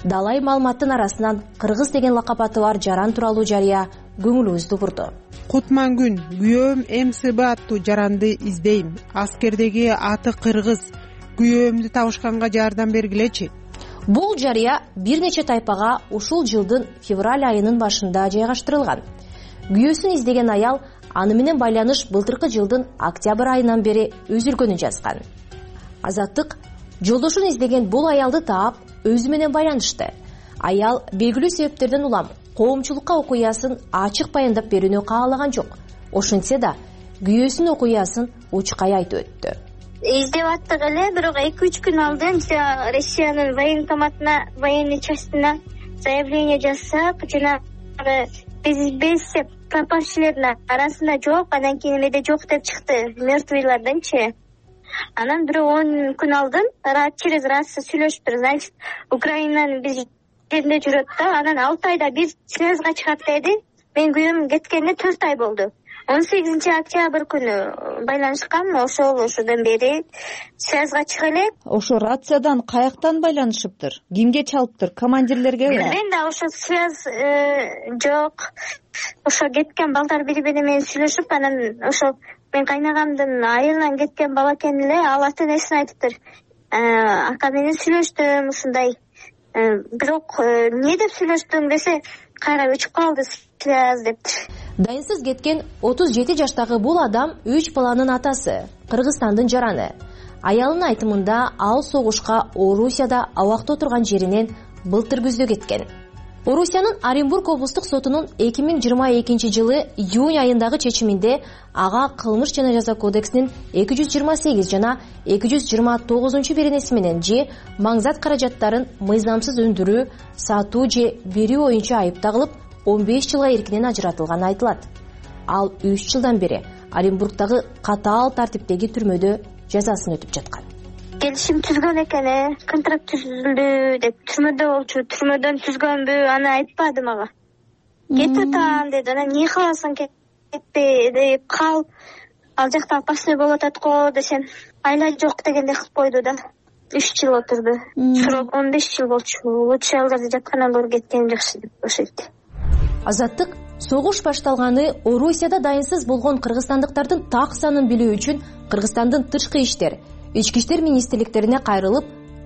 Далай маалыматтын арасынан кыргыз деген лакап аты бар жаран тууралуу жарыя көңүлүбүздү бурду. Кутмангүн, күйөөм МСБ аттуу жаранды издейм. Аскердеги аты кыргыз. Күйөөмдү табышканга жардам бергилечи. Бул жарыя бир нече тайпага ушул жылдын февраль айынын башында жайгаштырылган. Күйөөсүн издеген аял аны менен байланыш былтыркы жылдын октябрь айынан бери үзүлгөнүн жазган. Азаттык жолдошун издеген бул аялды таап өзү менен байланышты. Аял белгилүү себептерден улам коомчулукка окуясын ачык баяндап берүүнү каалаган жок. Ошентсе да күйөөсүнүн окуясын учкай айтып өттү. Издеп аттык эле, бирок эки үч күн алдын Россиянын военкоматына, военный частына заявление жазсак, жанагы биз без пропавшилердин арасында жок, анан кийин эмеде жок деп чыкты, мертвыйлардынчы. Анан бирок он күн алдын через рацию сүйлөшүптүр. Значит, Украинанын биз жеринде жүрөт да, анан алты айда бир связга чыгат деди. Мен күйөөм кеткенине төрт ай болду. он сегизинчи октябрь күнү байланышкан, ошол ошодон бери связга чыга элек. Ошо рациядан каяктан байланышыптыр? Кимге чалыптыр? Командирлерге? Мен да ошо связь жок. Ошо кеткен балдар бири бири менен сүйлөшүп, анан ошо мен кайнагамдын айылынан кеткен бала экен эле, ал ата энесин айтыптыр. Ака менен сүйлөштүм ушундай. Бирок эмне деп сүйлөштүң десе, кайра өчүп калды связь дептир. Дайынсыз кеткен отуз жети жаштагы бул адам үч баланын атасы, Кыргызстандын жараны. Аялынын айтымында ал согушка Орусияда абакта отурган жеринен былтыр күздө кеткен. Орусиянын Оренбург облустук сотунун эки миң жыйырма экинчи жылы июнь айындагы чечиминде ага кылмыш жана жаза кодексинин эки жүз жыйырма сегиз жана эки жүз жыйырма тогузунчу беренеси менен же маңзат каражаттарын мыйзамсыз өндүрүү, сатуу же берүү боюнча айып тагылып, он беш жылга эркинен ажыратылганы айтылат. Ал үч жылдан бери Оренбургдагы катаал тартиптеги түрмөдө жазасын өтүп жаткан. Келишим түзгөн экен, контракт түзүлдү деп түрмөдө болчу, түрмөдөн түзгөнбү, аны айтпады мага. Кетип атам деди, анан эмне кыласың, кетпе деп кал. Ал жакта опасный болуп атат го десем, айла жок дегендей кылып койду да. үч жыл отурду. Срок он беш жыл болчу. Лучше аларды жаткандан көрүп кеткеним жакшы деп ошентти. Азаттык согуш башталганы Орусияда дайынсыз болгон кыргызстандыктардын так санын билүү үчүн Кыргызстандын тышкы иштер, ички иштер министрликтерине кайрылып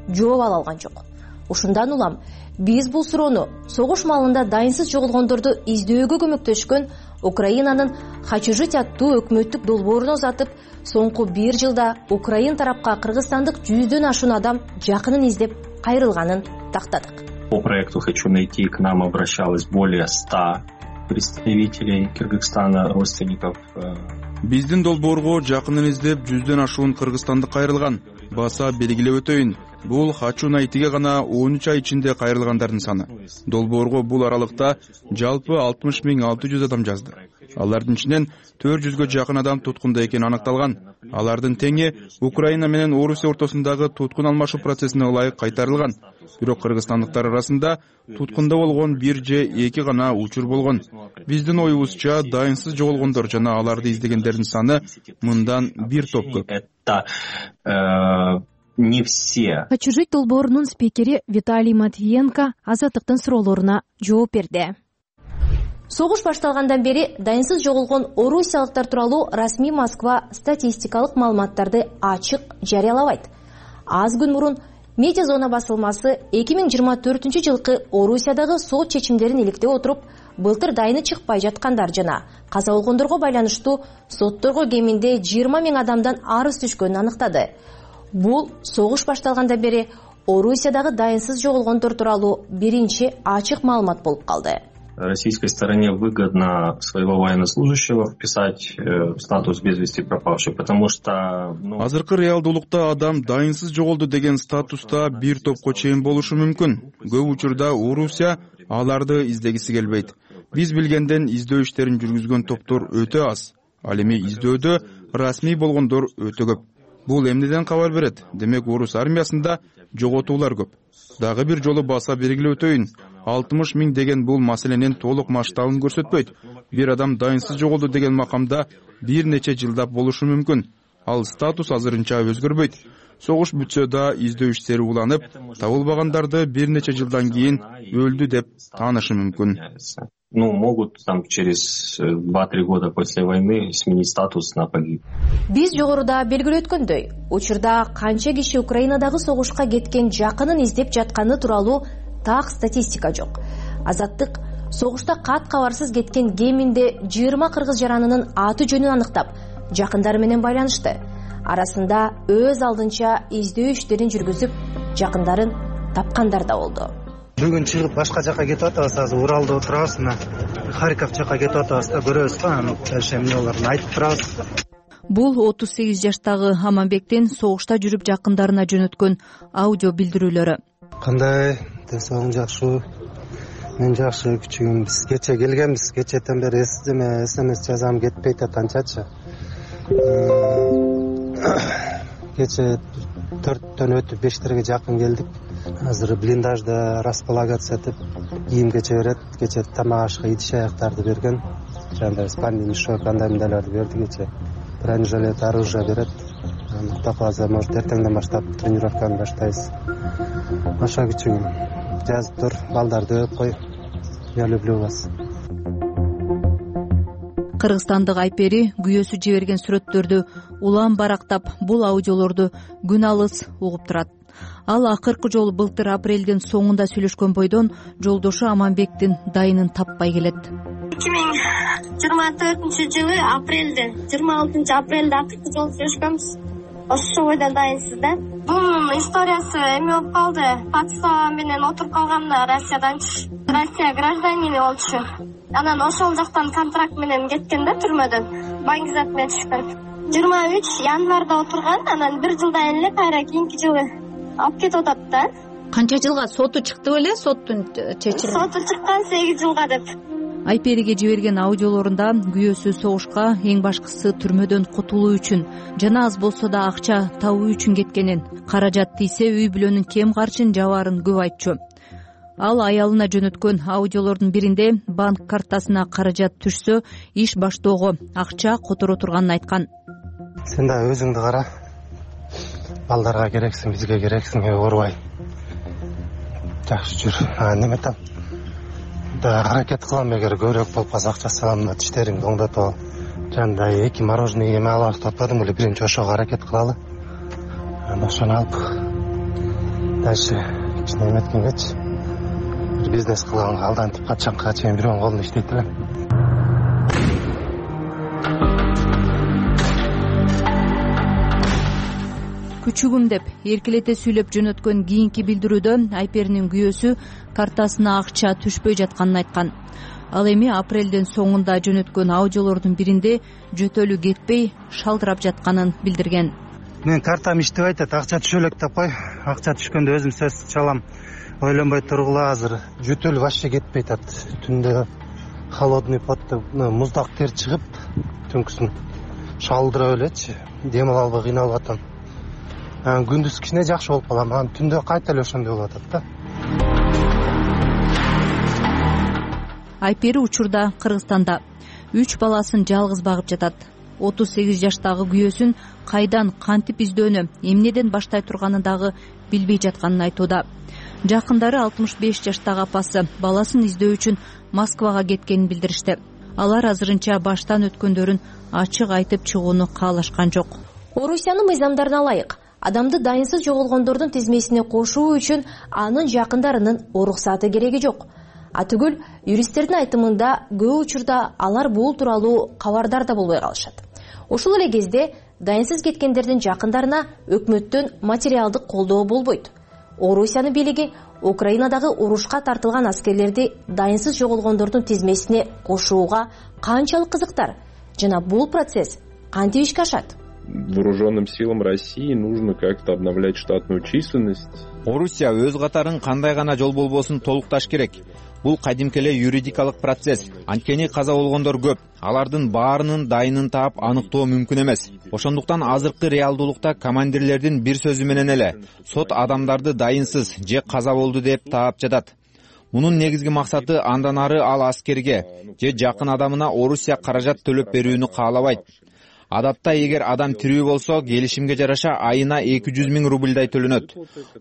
жооп ала алган жок. Ушундан улам биз бул суроону согуш маалында дайынсыз жоголгондорду издөөгө көмөктөшкөн Украинанын Хачужить аттуу өкмөттүк долбооруна узатып, соңку бир жылда Украин тарапка кыргызстандык жүздөн ашуун адам жакынын издеп кайрылганын тактадык. По проекту «Хочу найти» к нам обращалось более ста представителей Кыргызстана, родственников. Биздин долбоорго жакынын издеп жүздөн ашуун кыргызстандык кайрылган. Баса белгилеп өтөйүн. Бул «Хочу найтиге» гана он үч ай ичинде кайрылгандардын саны. Долбоорго бул аралыкта жалпы алтымыш миң алты жүз адам жазды. Алардын ичинен төрт жүзгө жакын адам туткунда экени аныкталган. Алардын теңи Украина менен Орусия ортосундагы туткун алмашуу процессине ылайык кайтарылган. Бирок кыргызстандыктар арасында туткунда болгон бир же эки гана учур болгон. Биздин оюбузча дайынсыз жоголгондор жана аларды издегендердин саны мындан бир топ көп. Не все. Хачужить долбоорунун спикери Виталий Матвиенко Азаттыктын суроолоруна жооп берди. Согуш башталгандан бери дайынсыз жоголгон орусиялыктар тууралуу расмий Москва статистикалык маалыматтарды ачык жарыялабайт. Аз күн мурун Медиа зона басылмасы эки миң жыйырма төртүнчү жылкы Орусиядагы сот чечимдерин иликтеп отуруп, былтыр дайыны чыкпай жаткандар жана каза болгондорго байланыштуу сотторго кеминде жыйырма миң адамдан арыз түшкөнүн аныктады. Бул согуш башталгандан бери Орусиядагы дайынсыз жоголгондор тууралуу биринчи ачык маалымат болуп калды. Российской стороне выгодно своего военнослужащего вписать в статус без вести пропавший, потому что азыркы реалдуулукта адам дайынсыз жоголду деген статуста бир топко чейин болушу мүмкүн. Көп учурда Орусия аларды издегиси келбейт. Биз билгенден издөө иштерин жүргүзгөн топтор өтө аз. Ал эми издөөдө расмий болгондор өтө көп. Бул эмнеден кабар берет? Демек орус армиясында жоготуулар көп. Дагы бир жолу баса белгилеп өтөйүн. алтымыш миң деген бул маселенин толук масштабын көрсөтпөйт. Бир адам дайынсыз жоголду деген макамда бир нече жылдап болушу мүмкүн. Ал статус азырынча өзгөрбөйт. Согуш бүтсө да издөө иштери уланып, табылбагандарды бир нече жылдан кийин өлдү деп таанышы мүмкүн. Ну, могут там через два-три года после войны сменить статус на погиб. Биз жогоруда белгилеп өткөндөй, учурда канча киши Украинадагы согушка кеткен жакынын издеп жатканы тууралуу так статистика жок. Азаттык согушта кат кабарсыз кеткен кеминде жыйырма кыргыз жаранынын аты жөнүн аныктап, жакындары менен байланышты. Арасында өз алдынча издөө иштерин жүргүзүп, жакындарын тапкандар да болду. Бүгүн чыгып башка жака кетип атабыз, азыр Уралда отурабыз, мына Харьков жака кетип атабыз да, көрөбүз да, анан дальше эмнелерин айтып турабыз. Бул отуз сегиз жаштагы Аманбектин согушта жүрүп жакындарына жөнөткөн аудио билдирүүлөрү. Кандай, ден соолугуң жакшыбы? Мен жакшы, күчүгүм. Биз кече келгенбиз, кечетен бери эсдеме смс жазам, кетпейт атанчачы. Кече төрттөн өтүп бештерге жакын келдик. Азыр блиндажда располагация этип, кийим кече берет, кече тамак ашка идиш аяктарды берген. Жандай спальный мешок, андай мындайларды берди кече. Бронежилет, оружие берет. Кудай кааласа, может, эртеңден баштап тренировканы баштайбыз. Аша күчүгүм. Жазып тур, балдарды өп кой. Я люблю вас. Кыргызстандык Айпери күйөөсү жиберген сүрөттөрдү улам барактап, бул аудиолорду күн алыс угуп турат. Ал акыркы жолу былтыр апрелдин соңунда сүйлөшкөн бойдон жолдошу Аманбектин дайынын таппай келет. эки миң жыйырма төртүнчү жылы апрелде, жыйырма алтынчы апрелде акыркы жолу сүйлөшкөнбүз. Ошол бойдон дайынсыз да. Бунун историясы эме болуп калды. Подстава менен отуруп калганда Россияданчы. Россия гражданини болчу. Анан ошол жактан контракт менен кеткен да түрмөдөн. Баңгизат менен түшкөн. жыйырма үч январда отурган, анан бир жылдан эле кайра кийинки жылы алып кетип атат да. Канча жылга соту чыкты беле, соттун чечими? Соту чыккан сегиз жылга деп. Айпериге жиберген аудиолорунда күйөөсү согушка эң башкысы түрмөдөн кутулуу үчүн жана аз болсо да акча табуу үчүн кеткенин, каражат тийсе үй бүлөнүн кем карчын жабаарын көп айтчу. Ал аялына жөнөткөн аудиолордун биринде банк картасына каражат түшсө, иш баштоого акча которо турганын айткан. Сен да өзүңдү кара. Балдарга керексиң, бизге керексиң, оорубай. Жакшы жүр. А неме там? Да аракет кылам, эгер көбүрөөк болуп калса акча салам, тиштериңди оңдото. Жандай эки мороженое эме алып атпадым эле, биринчи ошого аракет кылалы. Анан ошону алып дальше кичине эметкенгечи бизнес кылганга алдантип качанга чейин бирөөнүн колунда иштейт элем. Күчүгүм деп эркелете сүйлөп жөнөткөн кийинки билдирүүдө Айперинин күйөөсү картасына акча түшпөй жатканын айткан. Ал эми апрелдин соңунда жөнөткөн аудиолордун биринде жөтөлү кетпей шалдырап жатканын билдирген. Мен картам иштебей атат, акча түшө элек деп кой. Акча түшкөндө өзүм сөз чалам. Ойлонбой тургула, азыр жөтөлү вообще кетпей атат. Түндө холодный потто, муздак тер чыгып, түнкүсүн шалдырып элечи, дем ала албай кыйналып атам. Анан күндүз кичине жакшы болуп калам, анан түндө кайта эле ошондой болуп атат да. Айпери учурда Кыргызстанда үч баласын жалгыз багып жатат. отуз сегиз жаштагы күйөөсүн кайдан кантип издөөнү, эмнеден баштай турганын дагы билбей жатканын айтууда. Жакындары алтымыш беш жаштагы апасы баласын издөө үчүн Москвага кеткенин билдиришти. Алар азырынча баштан өткөндөрүн ачык айтып чыгууну каалашкан жок. Орусиянын мыйзамдарына ылайык, адамды дайынсыз жоголгондордун тизмесине кошуу үчүн анын жакындарынын уруксаты кереги жок. Атүгүл юристтердин айтымында көп учурда алар бул тууралуу кабардар да болбой калышат. Ошол эле кезде дайынсыз кеткендердин жакындарына өкмөттөн материалдык колдоо болбойт. Орусиянын бийлиги Украинадагы урушка тартылган аскерлерди дайынсыз жоголгондордун тизмесине кошууга канчалык кызыктар жана бул процесс кантип ишке ашат? Вооруженным силам России нужно как-то обновлять штатную численность. Орусия өз катарын кандай гана жол болбосун толукташ керек. Бул кадимки эле юридикалык процесс. Анткени каза болгондор көп. Алардын баарынын дайынын таап аныктоо мүмкүн эмес. Ошондуктан азыркы реалдуулукта командирлердин бир сөзү менен эле сот адамдарды дайынсыз же каза болду деп таап жатат. Мунун негизги максаты андан ары ал аскерге же жакын адамына Орусия каражат төлөп берүүнү каалабайт. Адатта эгер адам тирүү болсо, келишимге жараша айына эки жүз миң рубльдай төлөнөт.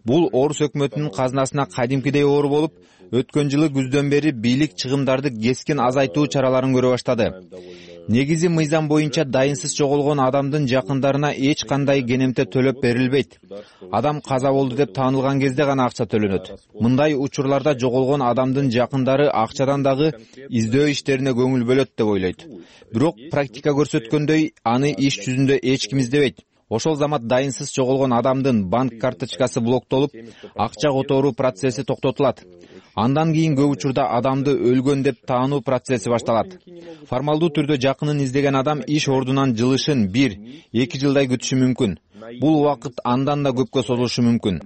Бул Орус өкмөтүнүн казынасына кадимкидей оор болуп, өткөн жылы күздөн бери бийлик чыгымдарды кескин азайтуу чараларын көрө баштады. Негизи мыйзам боюнча дайынсыз жоголгон адамдын жакындарына эч кандай кенемте төлөп берилбейт. Адам каза болду деп таанылган кезде гана акча төлөнөт. Мындай учурларда жоголгон адамдын жакындары акчадан дагы издөө иштерине көңүл бөлөт деп ойлойт. Бирок практика көрсөткөндөй, аны иш жүзүндө эч ким издебейт. Ошол замат дайынсыз жоголгон адамдын банк карточкасы блоктолуп, акча которуу процесси токтотулат. Андан кийин көп учурда адамды өлгөн деп таануу процесси башталат. Формалдуу түрдө жакынын издеген адам иш ордунан жылышын бир эки жылдай күтүшү мүмкүн. Бул убакыт андан да көпкө созулушу мүмкүн.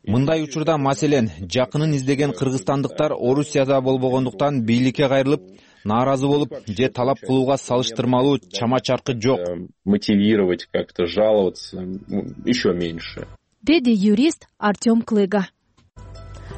Мындай учурда маселен жакынын издеген кыргызстандыктар Орусияда болбогондуктан бийликке кайрылып, нааразы болуп же талап кылууга салыштырмалуу чама-чаркы жок. Мотивировать, как-то жаловаться еще меньше. Деди юрист Артем Клыга.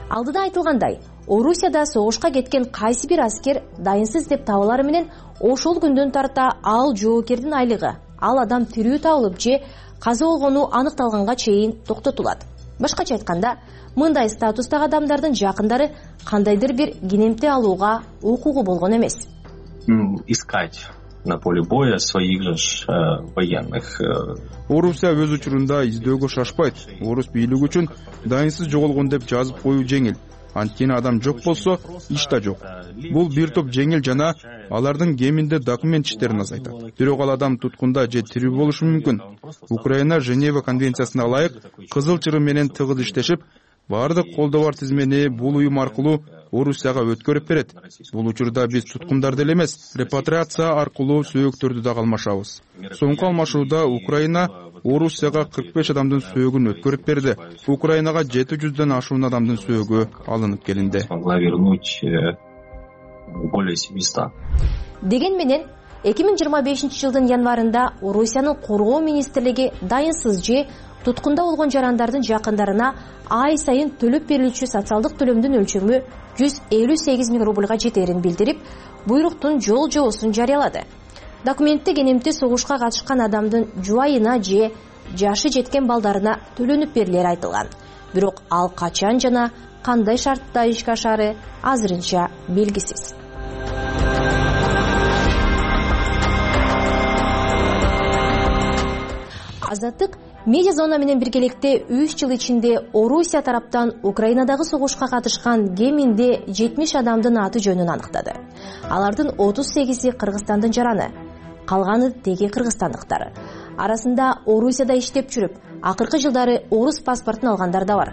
Алдыда айтылгандай, Орусияда согушка кеткен кайсы бир аскер дайынсыз деп табылары менен ошол күндөн тарта ал жоокердин айлыгы, ал адам тирүү табылып же каза болгону аныкталганга чейин токтотулат. Башкача айтканда, мындай статустагы адамдардын жакындары кандайдыр бир кенемте алууга укугу болгон эмес. Искать на поле боя своих же военных. Орусия өз учурунда издөөгө шашпайт. Орус бийлиги үчүн дайынсыз жоголгон деп жазып коюу жеңил. Анткени адам жок болсо, иш да жок. Бул бир топ жеңил жана алардын кеминде документ иштерин азайтат. Бирок ал адам туткунда же тирүү болушу мүмкүн. Украина Женева конвенциясына ылайык кызыл чырым менен тыгыз иштешип, баардык колдоо бар тизмени бул уюм аркылуу Орусияга өткөрүп берет. Бул учурда биз туткундарды эле эмес, репатриация аркылуу сөөктөрдү да алмашабыз. Соңку алмашууда Украина Орусияга кырк беш адамдын сөөгүн өткөрүп берди. Украинага жети жүздөн ашуун адамдын сөөгү алынып келинди. Деген менен эки миң жыйырма бешинчи жылдын январында Орусиянын коргоо министрлиги дайынсыз же туткунда болгон жарандардын жакындарына ай сайын төлөп берилүүчү социалдык төлөмдүн өлчөмү жүз элүү сегиз миң рубльга жетерин билдирип, буйруктун жол жобосун жарыялады. Документте кенемти согушка катышкан адамдын жубайына же жашы жеткен балдарына төлөнүп берилери айтылган. Бирок ал качан жана кандай шартта ишке ашары азырынча белгисиз. Азаттык медиа зона менен биргеликте үч жыл ичинде Орусия тараптан Украинадагы согушка катышкан кеминде жетимиш адамдын аты жөнүн аныктады. Алардын отуз сегизи Кыргызстандын жараны, калганы теги кыргызстандыктар. Арасында Орусияда иштеп жүрүп, акыркы жылдары орус паспортун алгандар да бар.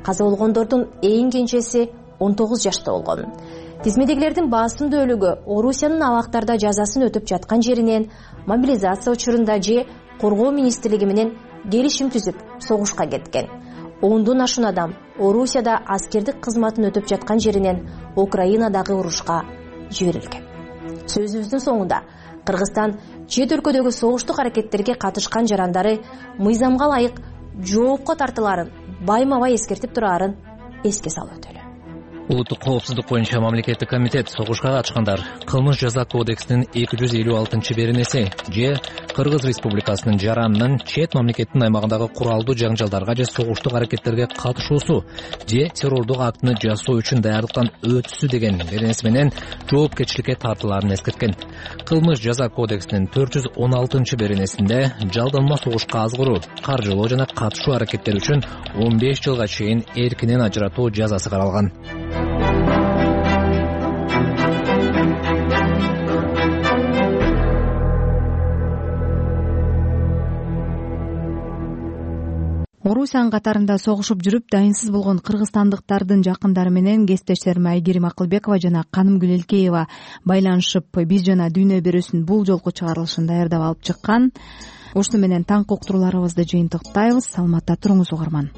Каза болгондордун эң кенжеси он тогуз жашта болгон. Тизмедегилердин басымдуу бөлүгү Орусиянын абактарда жазасын өтүп жаткан жеринен, мобилизация учурунда же коргоо министрлиги менен келишим түзүп согушка кеткен. Ондон ашуун адам Орусияда аскердик кызматын өтүп жаткан жеринен Украинадагы урушка жиберилген. Сөзүбүздүн соңунда Кыргызстан чет өлкөдөгү согуштук аракеттерге катышкан жарандары мыйзамга ылайык жоопко тартыларын байма-бай эскертип турарын эске салып өтөлү. улуттук коопсуздук боюнча мамлекеттик комитет согушка катышкандар кылмыш жаза кодексинин эки жүз элүү алтынчы беренеси же Кыргыз Республикасынын жаранынын чет мамлекеттин аймагындагы куралдуу жаңжалдарга же согуштук аракеттерге катышуусу же террордук актыны жасоо үчүн даярдыктан өтүүсү деген беренеси менен жоопкерчиликке тартылаарын эскерткен. Кылмыш жаза кодексинин төрт жүз он алтынчы беренесинде жалданма согушка азгыруу, каржылоо жана катышуу аракеттери үчүн он беш жылга чейин эркинен ажыратуу жазасы каралган. Орусиянын катарында согушуп жүрүп дайынсыз болгон кыргызстандыктардын жакындары менен кесиптештерим Айгерим Акылбекова жана Канымгүл Элкеева байланышып биз жана дүйнө берүүсүнүн бул жолку чыгарылышын даярдап алып чыккан. Ушуну менен таңкы уктурууларыбызды жыйынтыктайбыз. Саламатта туруңуз угарман.